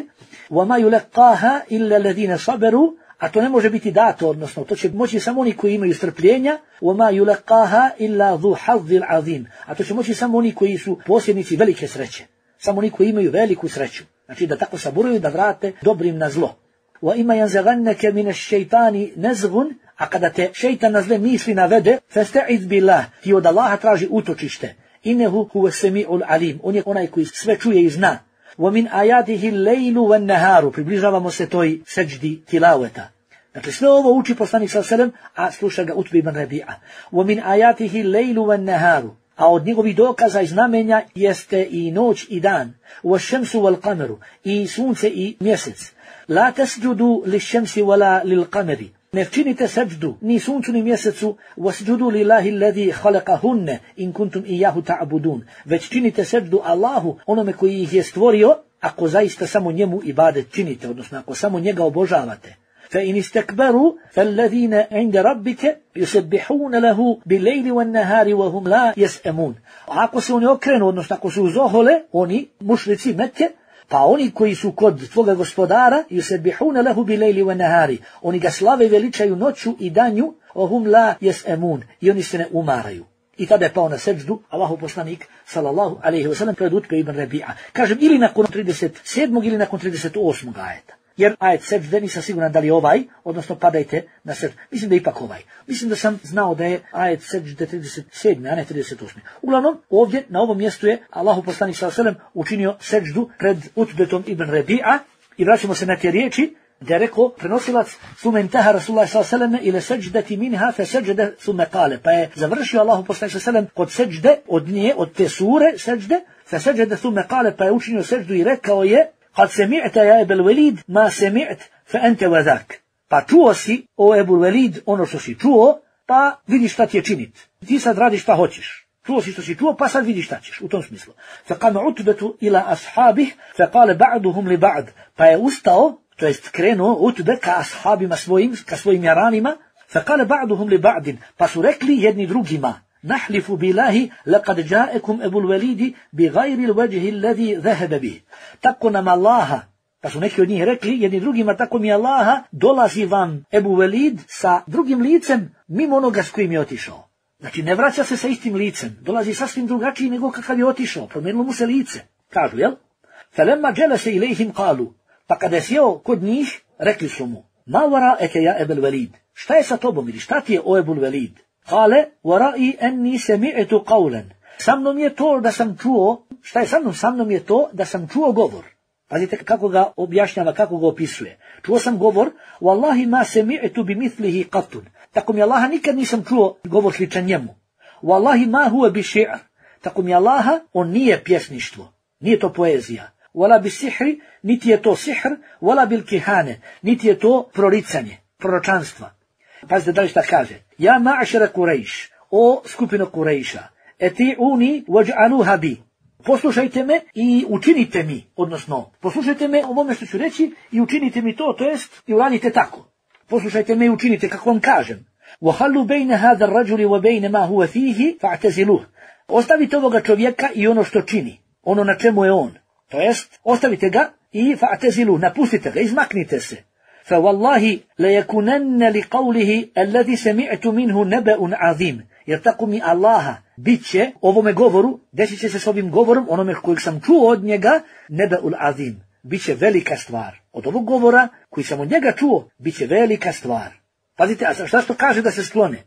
B: Wa ma yulaqaha illa alladhina sabaru, a to ne može biti dato, odnosno to će moći samo oni koji imaju strpljenja. Wa ma yulaqaha illa dhu hazzin azim, a to će moći samo oni koji su posjednici velike sreće, samo oni koji imaju veliku sreću. Znači da tako saburuju, da vrate dobrim na zlo. Wa ima yanzaghannaka min ash-shaytani nazghun, a kada te šejtan na zle misli navede, fasta'iz billah, ti od Allaha traži utočište. Innehu huwa sami'ul alim, on je onaj koji sve čuje i zna. Wa min ayatihi al-laylu wan-naharu, približavamo se toj seđdi tilaveta. Dakle, sve ovo uči poslanik sallallahu alejhi ve sellem, a sluša ga Utbe ibn Rabi'a. Wa min ayatihi al-laylu wan-naharu, a od njegovih dokaza i znamenja jeste i noć i dan. Wash-shamsu wal-qamaru, i sunce i mjesec. La tasjudu lish-shamsi wala lil-qamari, ne činite seđdu ni suncu ni mjesecu, wasjudu lillahi alladhi khalaqahunna in kuntum iyyahu ta'budun, već činite seđdu Allahu, onome koji ih je stvorio, ako zaista samo njemu ibadet činite, odnosno ako samo njega obožavate. فإن استكبروا فالذين عند ربك يسبحون له بالليل والنهار وهم لا يسأمون. Ako se oni okrenu, odnosno ako su uzohole, oni mušrici Mekke, pa oni koji su kod tvoga gospodara, yusabbihuna lahu bil-lejli wan-nahari, oni ga slave i veličaju noću i danju, وهم لا يسأمون, i oni se ne umaraju. I tada je pao na seđdu Allahov poslanik sallallahu alejhi ve sellem pred Utbe ibn Rabi'a. Kažem, ili nakon trideset sedmog ili nakon trideset osmog ajeta. Jer ajet seđde nisam siguran da li ovaj, odnosno padajte na seđdu. Mislim da je ipak ovaj. Mislim da sam znao da je ajet seđde trideset sedme, a ne trideset osme. Uglavnom, ovdje na ovom mjestu je Allahov poslanik sallallahu alejhi ve sellem učinio seđdu pred Utbetom ibn Rabi'a. I vraćamo se na te riječi, da je rekao prenosilac ثم انتهى رسول الله صلى الله عليه وسلم الى سجده منها فسجد ثم قال, pa je završio Allahu poslanik sallallahu alejhi ve sellem kod seđde od nje, od te sure seđde, فسجد ثم قال, pa je učinio seđdu i rekao je: قد سمعت يا ابا الوليد ما سمعت فانت وذاك. Pa čuo si, o Ebul Velid, ono što si čuo, pa vidiš šta ti je činit. Ti sad radiš šta hoćeš. Čuo si što si čuo, pa sad vidiš šta ćeš, u tom smislu. فقام عتبة الى اصحابه فقال بعضهم لبعض, pa je ustao, to jest krenuo Utbe ka ashabima svojim, ka svojim jaranima, فقال بعضهم لبعض, pa su rekli jedni drugima: نحلف بالله لقد جاءكم ابو الوليد بغير الوجه الذي ذهب به. Tako nam Allaha, pa su neki od njih rekli jedni drugima: tako mi Allaha, dolazi vam Ebu Velid sa drugim licem mimo onoga s kojim je otišao. Znači ne vraća se sa istim licem, dolazi sasvim drugačiji nego kakav je otišao, promijenilo mu se lice. Kažu, jel? فلما جلس إليهم قالوا, pa kada je sjeo kod njih, rekli su mu: ما وراءك يا أبا الوليد, šta je sa tobom ili šta ti je, o Ebu Velid? Kale, وراءي أني سمعت قولا, sa mnom je to da sam čuo, šta je sa mnom? Sa mnom je to da sam čuo govor. Pazite kako ga objašnjava, kako ga opisuje. Čuo sam govor: wallahi ma sami'tu bimithlihi qatun, tako mi Allaha nikad nisam čuo govor sličan njemu. Wallahi ma huwa biši'r, tako mi Allaha, on nije pjesništvo, nije to poezija. Wala bisihri, niti je to sihr, wala bil kihane, niti je to proricanje, proročanstva. Pazite da li šta kaže: ja ma'ašara Kurejš, o skupino Kurejša, eti'uni waj'aluha bi, poslušajte me i učinite mi, odnosno poslušajte me ovome što ću reći i učinite mi to, to jest i uradite tako. Poslušajte me i učinite kako vam kažem. وَحَلُّ بَيْنَ هَذَا الرَّجُلِ وَبَيْنَ مَا هُوَ فِيهِ فَاعْتَزِلُوهُ, ostavite ovoga čovjeka i ono što čini, ono na čemu je on, to jest ostavite ga i fa'tazilu, napustite ga, izmaknite se. فَوَاللَّهِ لَيَكُنَنَّ لِقَوْلِهِ الَّذِي سَمِعْتُ مِنْهُ نَبَأٌ عَظِيمٌ, jer tako mi Allaha, bit će ovome govoru, desit će se s ovim govorom, onome kojeg sam čuo od njega, nebe'ul azim, bit će velika stvar. Od ovog govora koji sam od njega čuo, bit će velika stvar. Pazite, a šta što kaže da se sklone?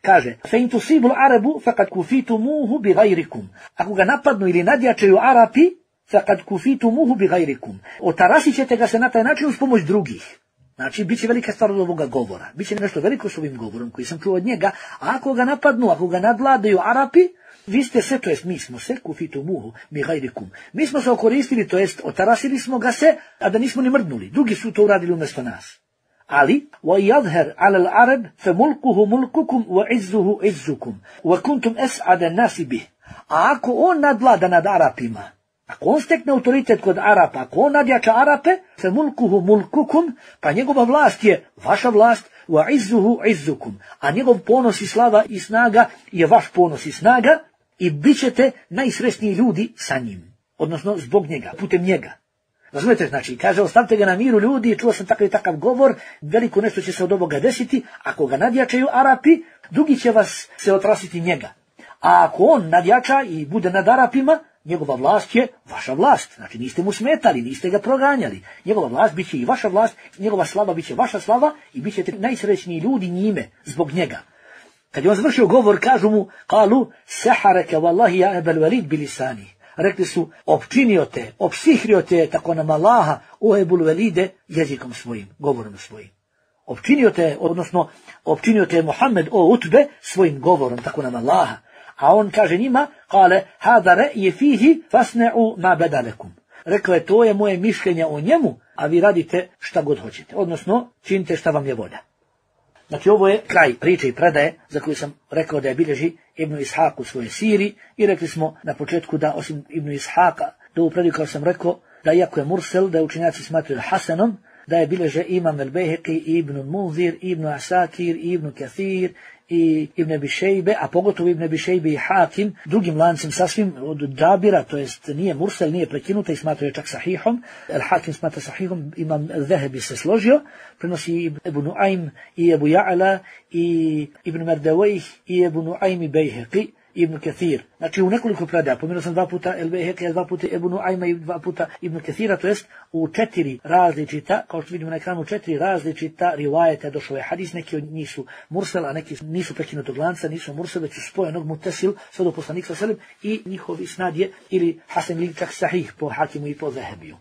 B: Kaže: فَإِنْ تُصِيبُ الْعَرَبُ فَقَدْ كُفِيتُمُوهُ بِغَيْرِكُمْ, ako ga napadnu ili nadjačaju Arapi, فَقَدْ كُفِيتُمُوهُ بِغَيْرِكُمْ, otarasit ćete ga se na taj način uz pomoć drugih. Znači, bit će velika stvar od ovoga govora. Biće nešto veliko s ovim govorom koji sam čuo od njega, a ako ga napadnu, ako ga nadvladaju Arapi, vi ste se, to jest mi smo se, kufitumuhu bi gajrikum. Mi smo se okoristili, to jest otarasili smo ga se, a da nismo ni mrdnuli. Drugi su to uradili umjesto nas. Ali, وَيَظْهَرْ عَلَى الْعَرَبِ فَمُلْكُهُ مُلْكُكُمْ وَعِزُّهُ عِزُّكُمْ وَكُنْتُمْ أَسْعَدَ النَّاسِ بِهِ. A ako on nadvlada nad Arapima, ako on stekne autoritet kod Arapa, ako on nadjača Arape, فَمُلْكُهُ مُلْكُكُمْ, pa njegova vlast je vaša vlast, وَعِزُّهُ عِزُّكُمْ, a njegov ponos i slava i snaga je vaš ponos i snaga, i bit ćete najsretniji ljudi sa njim, odnosno zbog njega, putem njega. Razumete, znači, kaže: ostavite ga na miru ljudi, čuo sam takav i takav govor, veliko nešto će se od ovoga desiti, ako ga nadjačaju Arapi, drugi će vas se otrasiti njega. A ako on nadjača i bude nad Arapima, njegova vlast je vaša vlast, znači niste mu smetali, niste ga proganjali, njegova vlast bit će i vaša vlast, njegova slava bit će vaša slava i bit ćete najsrećniji ljudi njime, zbog njega. Kad je on završio govor, kažu mu: kalu saharaka wallahi ya Abul Walid bilisani, rekli su: opčinio te, opsihrio te, tako nam Allaha, o Ebul Velide, jezikom svojim, govorom svojim. Opčinio te, odnosno opčinio te Muhammed, o Utbe, svojim govorom, tako nam Allaha. A on kaže njima: kale hada re'je fihi fasne'u ma bedalekum, rekao je: to je moje mišljenje o njemu, a vi radite šta god hoćete, odnosno činite šta vam je volja. Znači ovo je kraj priče i predaje za koju sam rekao da je bilježi Ibn Ishaq u svojoj siri i rekli smo na početku da osim Ibn Ishaqa, da ovu predaju kao sam rekao, da iako je mursel, da je učenjaci smatraju hasanom, da je bilježe Imam al-Bejheqi, Ibn Munzir, Ibn Asakir, Ibn Kathir i Ibn Abi Šejbe, a pogotovo Ibn Abi Šejbe i Hakim, drugim lancem sasvim od Džabira, to jest nije mursel, nije prekinuta i smatraju čak sahihom. Al-Hakim smatra sahihom, Imam al-Zahebi se složio, prenosi Ebu Nuaym i Ebu Ja'la i Ibn Mardawayh i Ebu Nuaym i Bejheqi, Ibn Kathir. Znači u nekoliko predaja, pomenuo sam dva puta El-Bejheqija, dva puta Ebu Nuajma i dva puta Ibn Kathira, to jest u četiri različita, kao što vidimo na ekranu, četiri različita rivajeta došao je hadis, neki od njih su mursel, a neki nisu prekinutog lanca, nisu mursel, već su spojenog mutesil, sve do poslanika sallallahu alejhi ve sellem i njihovi snad je ili hasan ili čak sahih po Hakimu i po Zahebiju.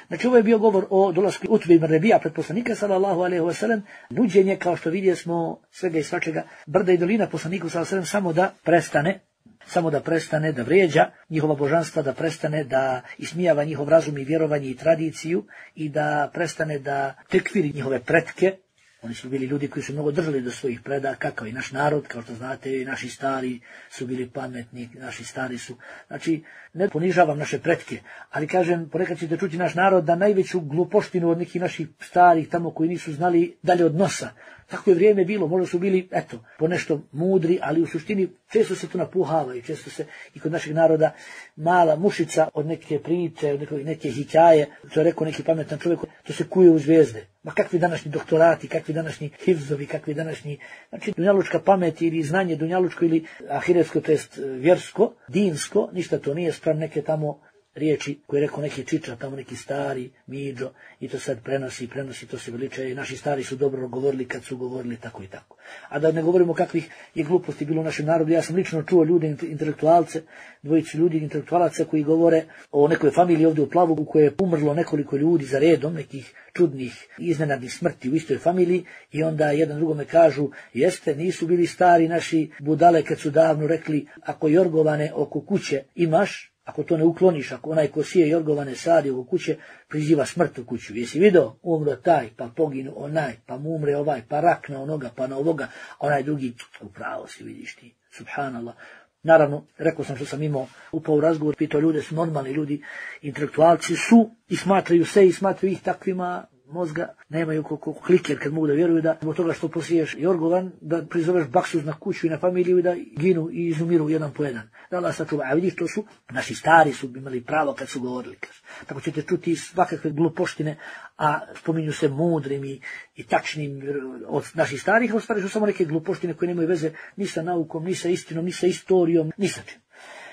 B: Znači ovo je bio govor o dolasku Utbe ibn Rebija pred poslanika sallallahu alejhi ve sellem, nuđenje kao što vidjeli smo svega i svačega, brda i dolina poslaniku sallallahu alejhi ve sellem samo da prestane samo da prestane da vrijeđa njihova božanstva, da prestane da ismijava njihov razum i vjerovanje i tradiciju i da prestane da tekfiri njihove pretke. Oni su bili ljudi koji su mnogo držali do svojih predaka, kao i naš narod, kao što znate, i naši stari su bili pametni, naši stari su. Znači, ne ponižavam naše pretke, ali kažem, ponekad ćete čuti naš narod da najveću glupoštinu od nekih naših starih tamo koji nisu znali dalje od nosa. Tako je vrijeme bilo, možda su bili, eto, ponešto mudri, ali u suštini često se to napuhava i često se i kod našeg naroda mala mušica od neke priče, od neke, neke hikaje, to je rekao neki pametan čovjek, to se kuje u zvijezde. Ma kakvi današnji doktorati, kakvi današnji hifzovi, kakvi današnji, znači dunjalučka pamet ili znanje dunjalučko ili ahiretsko, to jest vjersko, dinsko, ništa to nije spram neke tamo riječi koje je rekao neki čiča, tamo neki stari, miđo, i to sad prenosi, prenosi, to se veličaje, naši stari su dobro govorili kad su govorili tako i tako. A da ne govorimo kakvih je gluposti bilo u našem narodu, ja sam lično čuo ljude, intelektualce, dvojicu ljudi, intelektualaca koji govore o nekoj familiji ovdje u Plavu u kojoj je umrlo nekoliko ljudi za redom, nekih čudnih, iznenadnih smrti u istoj familiji i onda jedan drugome kažu, jeste, nisu bili stari naši budale kad su davno rekli, ako jorgovane oko kuće imaš, ako to ne ukloniš, ako onaj ko sije jorgovane sadi oko kuće, priziva smrt u kuću. Jesi vidio? Umro taj, pa poginu onaj, pa mu umre ovaj, pa rak na onoga, pa na ovoga, onaj drugi, upravo si vidiš ti, subhanallah. Naravno, rekao sam što sam imao upao u razgovor, pitao ljude, su normalni ljudi, intelektualci su i smatraju se i smatraju ih takvima, mozga nemaju koliko kliker kad mogu da vjeruju da zbog toga što posiješ jorgovan, da prizoveš baksuz na kuću i na familiju i da ginu i izumiru jedan po jedan. Da Allah sačuva. A vidiš, to su, naši stari su imali pravo kad su govorili. Tako ćete čuti svakakve glupoštine, a spominju se mudrim i, i tačnim od naših starih, a stvari su samo neke glupoštine koje nemaju veze ni sa naukom, ni sa istinom, ni sa istorijom, ni sa čim.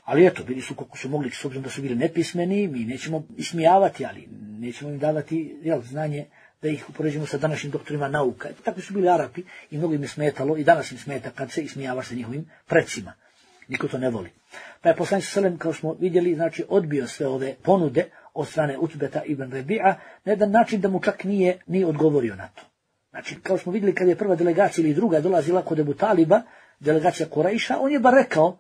B: Ali eto, bili su koliko su mogli, s obzirom da su bili nepismeni, mi nećemo ismijavati, ali nećemo im davati jel, znanje da ih upoređujemo sa današnjim doktorima nauka. Takvi su bili Arapi i mnogo im je smetalo i danas im smeta kad se ismijavaš sa njihovim precima. Niko to ne voli. Pa je poslanik sallallahu alejhi ve sellem, kao smo vidjeli, znači odbio sve ove ponude od strane Utbeta ibn Rebi'a na jedan način da mu čak nije ni odgovorio na to. Znači, kao smo vidjeli kad je prva delegacija ili druga dolazila kod Ebu Taliba, delegacija Kurajša, on je bar rekao,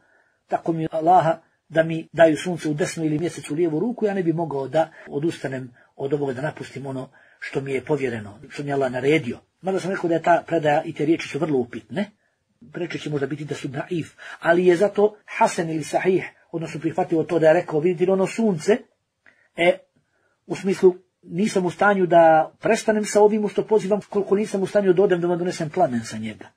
B: tako mi Allaha da mi daju sunce u desnu ili mjesec u lijevu ruku, ja ne bi mogao da odustanem od ovoga, da napustim ono što mi je povjereno, što mi je Allah naredio. Mada sam rekao da je ta predaja i te riječi su vrlo upitne, preče će možda biti da su naif, ali je zato hasan ili sahih, odnosno prihvatio to da je rekao, vidite ono sunce, e, u smislu nisam u stanju da prestanem sa ovim što pozivam, koliko nisam u stanju da odem da vam donesem plamen sa njega.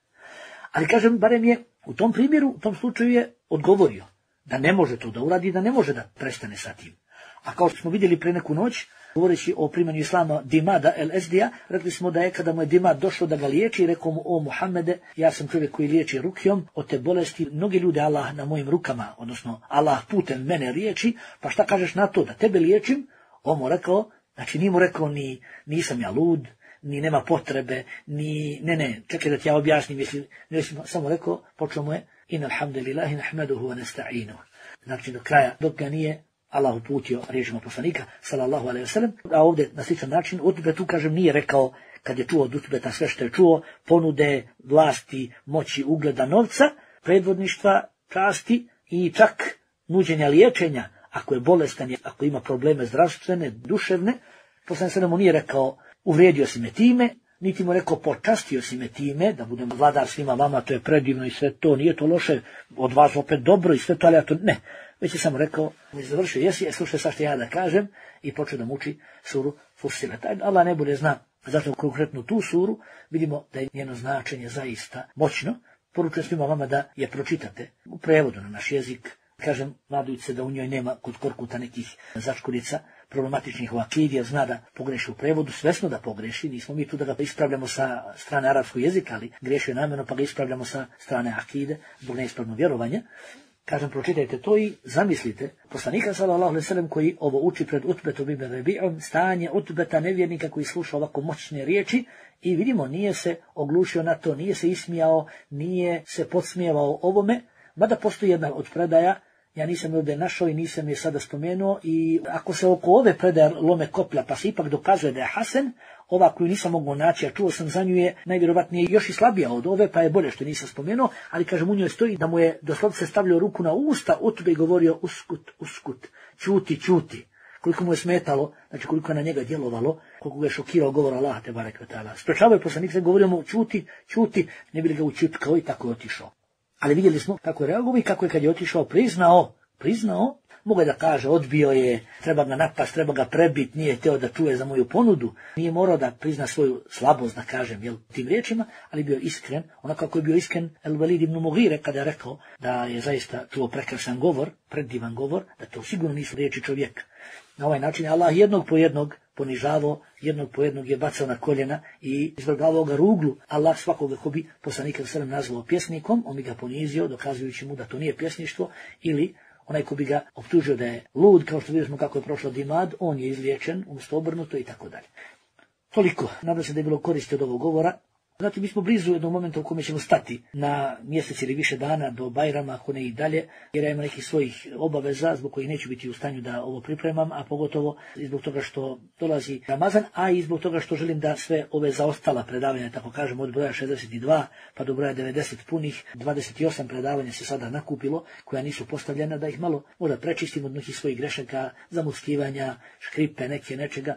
B: Ali kažem, barem je u tom primjeru, u tom slučaju je odgovorio da ne može to da uradi, da ne može da prestane sa tim. A kao što smo vidjeli pre neku noć, govoreći o primanju islama Dimada el-Ezdija, rekli smo da je kada mu je Dimad došlo da ga liječi, rekao mu, o Muhammede, ja sam čovjek koji liječi rukijom od te bolesti, mnogi ljudi Allah na mojim rukama, odnosno Allah putem mene liječi, pa šta kažeš na to da tebe liječim? On mu rekao, znači nije mu rekao ni nisam ja lud, ni nema potrebe, ni, ne, ne, čekaj da ti ja objasnim, jesli, jesli samo rekao, počeo mu je, in alhamdulillahi nahmaduhu wa nasta'inuhu. Znači do kraja, dok ga nije Allah uputio riječima poslanika, sallallahu alejhi ve sellem, a ovdje na sličan način, Utbe tu kažem nije rekao, kad je čuo od Utbeta sve što je čuo, ponude, vlasti, moći, ugleda, novca, predvodništva, časti i čak nuđenja liječenja, ako je bolestan, ako ima probleme zdravstvene, duševne, poslanik sallallahu mu nije rekao, uvrijedio si me time, niti mu rekao počastio si me time, da budem vladar svima vama, to je predivno i sve to, nije to loše, od vas opet dobro i sve to, ali ja to ne. Već je samo rekao, mi završio, jesi, je, slušaj sad što ja da kažem, i počeo da mu uči suru Fussilet. Allah ne bude zna, zato konkretno tu suru, vidimo da je njeno značenje zaista moćno. Poručujem svima vama da je pročitate u prevodu na naš jezik. Kažem, nadujući se da u njoj nema kod Korkuta nekih začkudica problematičnih u akidi, jer zna da pogreši u prevodu, svesno da pogreši, nismo mi tu da ga ispravljamo sa strane arapskog jezika, ali grešio namjerno pa ga ispravljamo sa strane akide, zbog neispravnog vjerovanja. Kažem, pročitajte to i zamislite poslanika sallallahu alejhi ve sellem koji ovo uči pred Utbetom ibn Rabi'om, stanje Utbeta nevjernika koji sluša ovako moćne riječi i vidimo, nije se oglušio na to, nije se ismijao, nije se podsmijevao ovome, mada postoji jedna od predaja, ja nisam ovdje našao i nisam je sada spomenuo, i ako se oko ove predaje lome koplja pa se ipak dokazuje da je Hasan, ova koju nisam mogao naći, a čuo sam za nju je najvjerovatnije još i slabija od ove, pa je bolje što nisam spomenuo, ali kažem, u njoj stoji da mu je doslovce stavljao ruku na usta Utbe i govorio uskut, uskut, čuti, čuti. Koliko mu je smetalo, znači koliko je na njega djelovalo, koliko ga je šokirao govor Allaha te barek ve taala. Sprečavao je poslanik, se govorio mu čuti, čuti, ne bi li ga učutkao i tako je otišao. Ali vidjeli smo kako je reagovao i kako je kad je otišao priznao, priznao, mogu da kaže, odbio je, treba ga napast, treba ga prebit, nije htio da čuje za moju ponudu, nije morao da prizna svoju slabost, da kažem, jel, tim riječima, ali bio iskren, onako kako je bio iskren El Velid ibn Mughire kada je rekao da je zaista čuo prekrasan govor, predivan govor, da to sigurno nisu riječi čovjeka. Na ovaj način je Allah jednog po jednog ponižavao, jednog po jednog je bacao na koljena i izvrgavao ga ruglu. Allah svakoga ko bi poslanika sallallahu nazvao pjesnikom, on bi ga ponizio, dokazujući mu da to nije pjesništvo, ili onaj ko bi ga optužio da je lud, kao što vidimo kako je prošlo Dimad, on je izliječen, umjesto obrnuto i tako dalje. Toliko, nadam se da je bilo koristi od ovog govora. Znači, mi smo blizu jednog momenta u kome ćemo stati na mjesec ili više dana do Bajrama, ako ne i dalje, jer ja imam nekih svojih obaveza zbog kojih neću biti u stanju da ovo pripremam, a pogotovo i zbog toga što dolazi Ramazan, a i zbog toga što želim da sve ove zaostala predavanja, tako kažem, od broja šezdeset dva pa do broja devedeset punih, dvadeset osam predavanja se sada nakupilo, koja nisu postavljena, da ih malo možda prečistim od nekih svojih grešaka, zamuckivanja, škripe, neke nečega,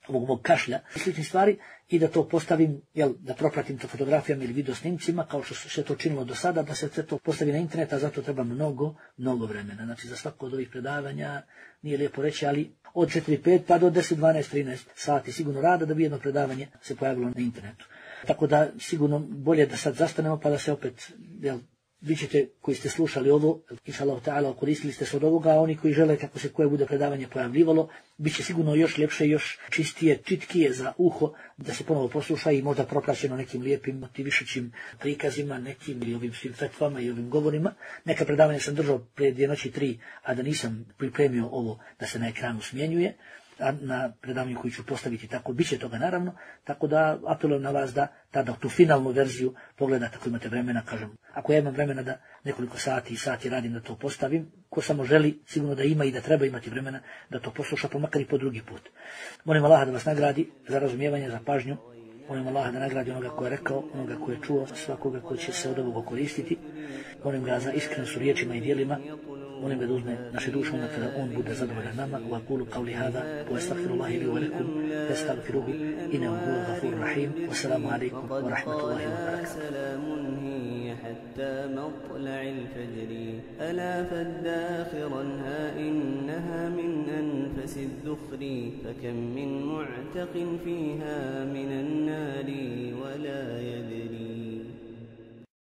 B: ovog mog kašlja i sličnih stvari, i da to postavim, jel, da propratim to fotografijama ili videosnimcima, kao što se to činilo do sada, da se sve to postavi na internet, a zato treba mnogo, mnogo vremena. Znači, za svako od ovih predavanja, nije lijepo reći, ali od četiri pet pa do deset, dvanaest, trinaest sati sigurno rada da bi jedno predavanje se pojavilo na internetu. Tako da sigurno bolje da sad zastanemo pa da se opet, jel, vi ćete koji ste slušali ovo, inšallahu ta'ala, koristili ste se od ovoga, a oni koji žele kako se koje bude predavanje pojavljivalo, bit će sigurno još ljepše, još čistije, čitkije za uho, da se ponovo posluša i možda propraćeno nekim lijepim, motivišućim prikazima, nekim ili ovim svim fetvama i ovim govorima. Neka predavanja sam držao prije dvije noći tri, a da nisam pripremio ovo da se na ekranu smjenjuje, a na predavanju koji ću postaviti tako, bit će toga naravno, tako da apelujem na vas da tada tu finalnu verziju pogledate ako imate vremena, kažem. Ako ja imam vremena da nekoliko sati i sati radim da to postavim, ko samo želi, sigurno da ima i da treba imati vremena da to posluša, pa makar i po drugi put. Molim Allaha da vas nagradi za razumijevanje, za pažnju. Molim Allaha da nagradi onoga ko je rekao, onoga ko je čuo, svakoga ko će se od ovoga koristiti. Molim ga za iskrenost u riječima i djelima. Molim ga da uzme naše duše onda kada on bude zadovoljan nama. Wa aqulu qawli hadha wa astaghfirullahi li wa lakum fastaghfiruhu innahu huwal ghafurur rahim. Wassalamu alaykum wa rahmatullahi wa barakatuh.
A: حتى مطلع الفجر ألا فاداخرا ها إنها من أنفس الذخر فكم من معتق فيها من النار ولا يدري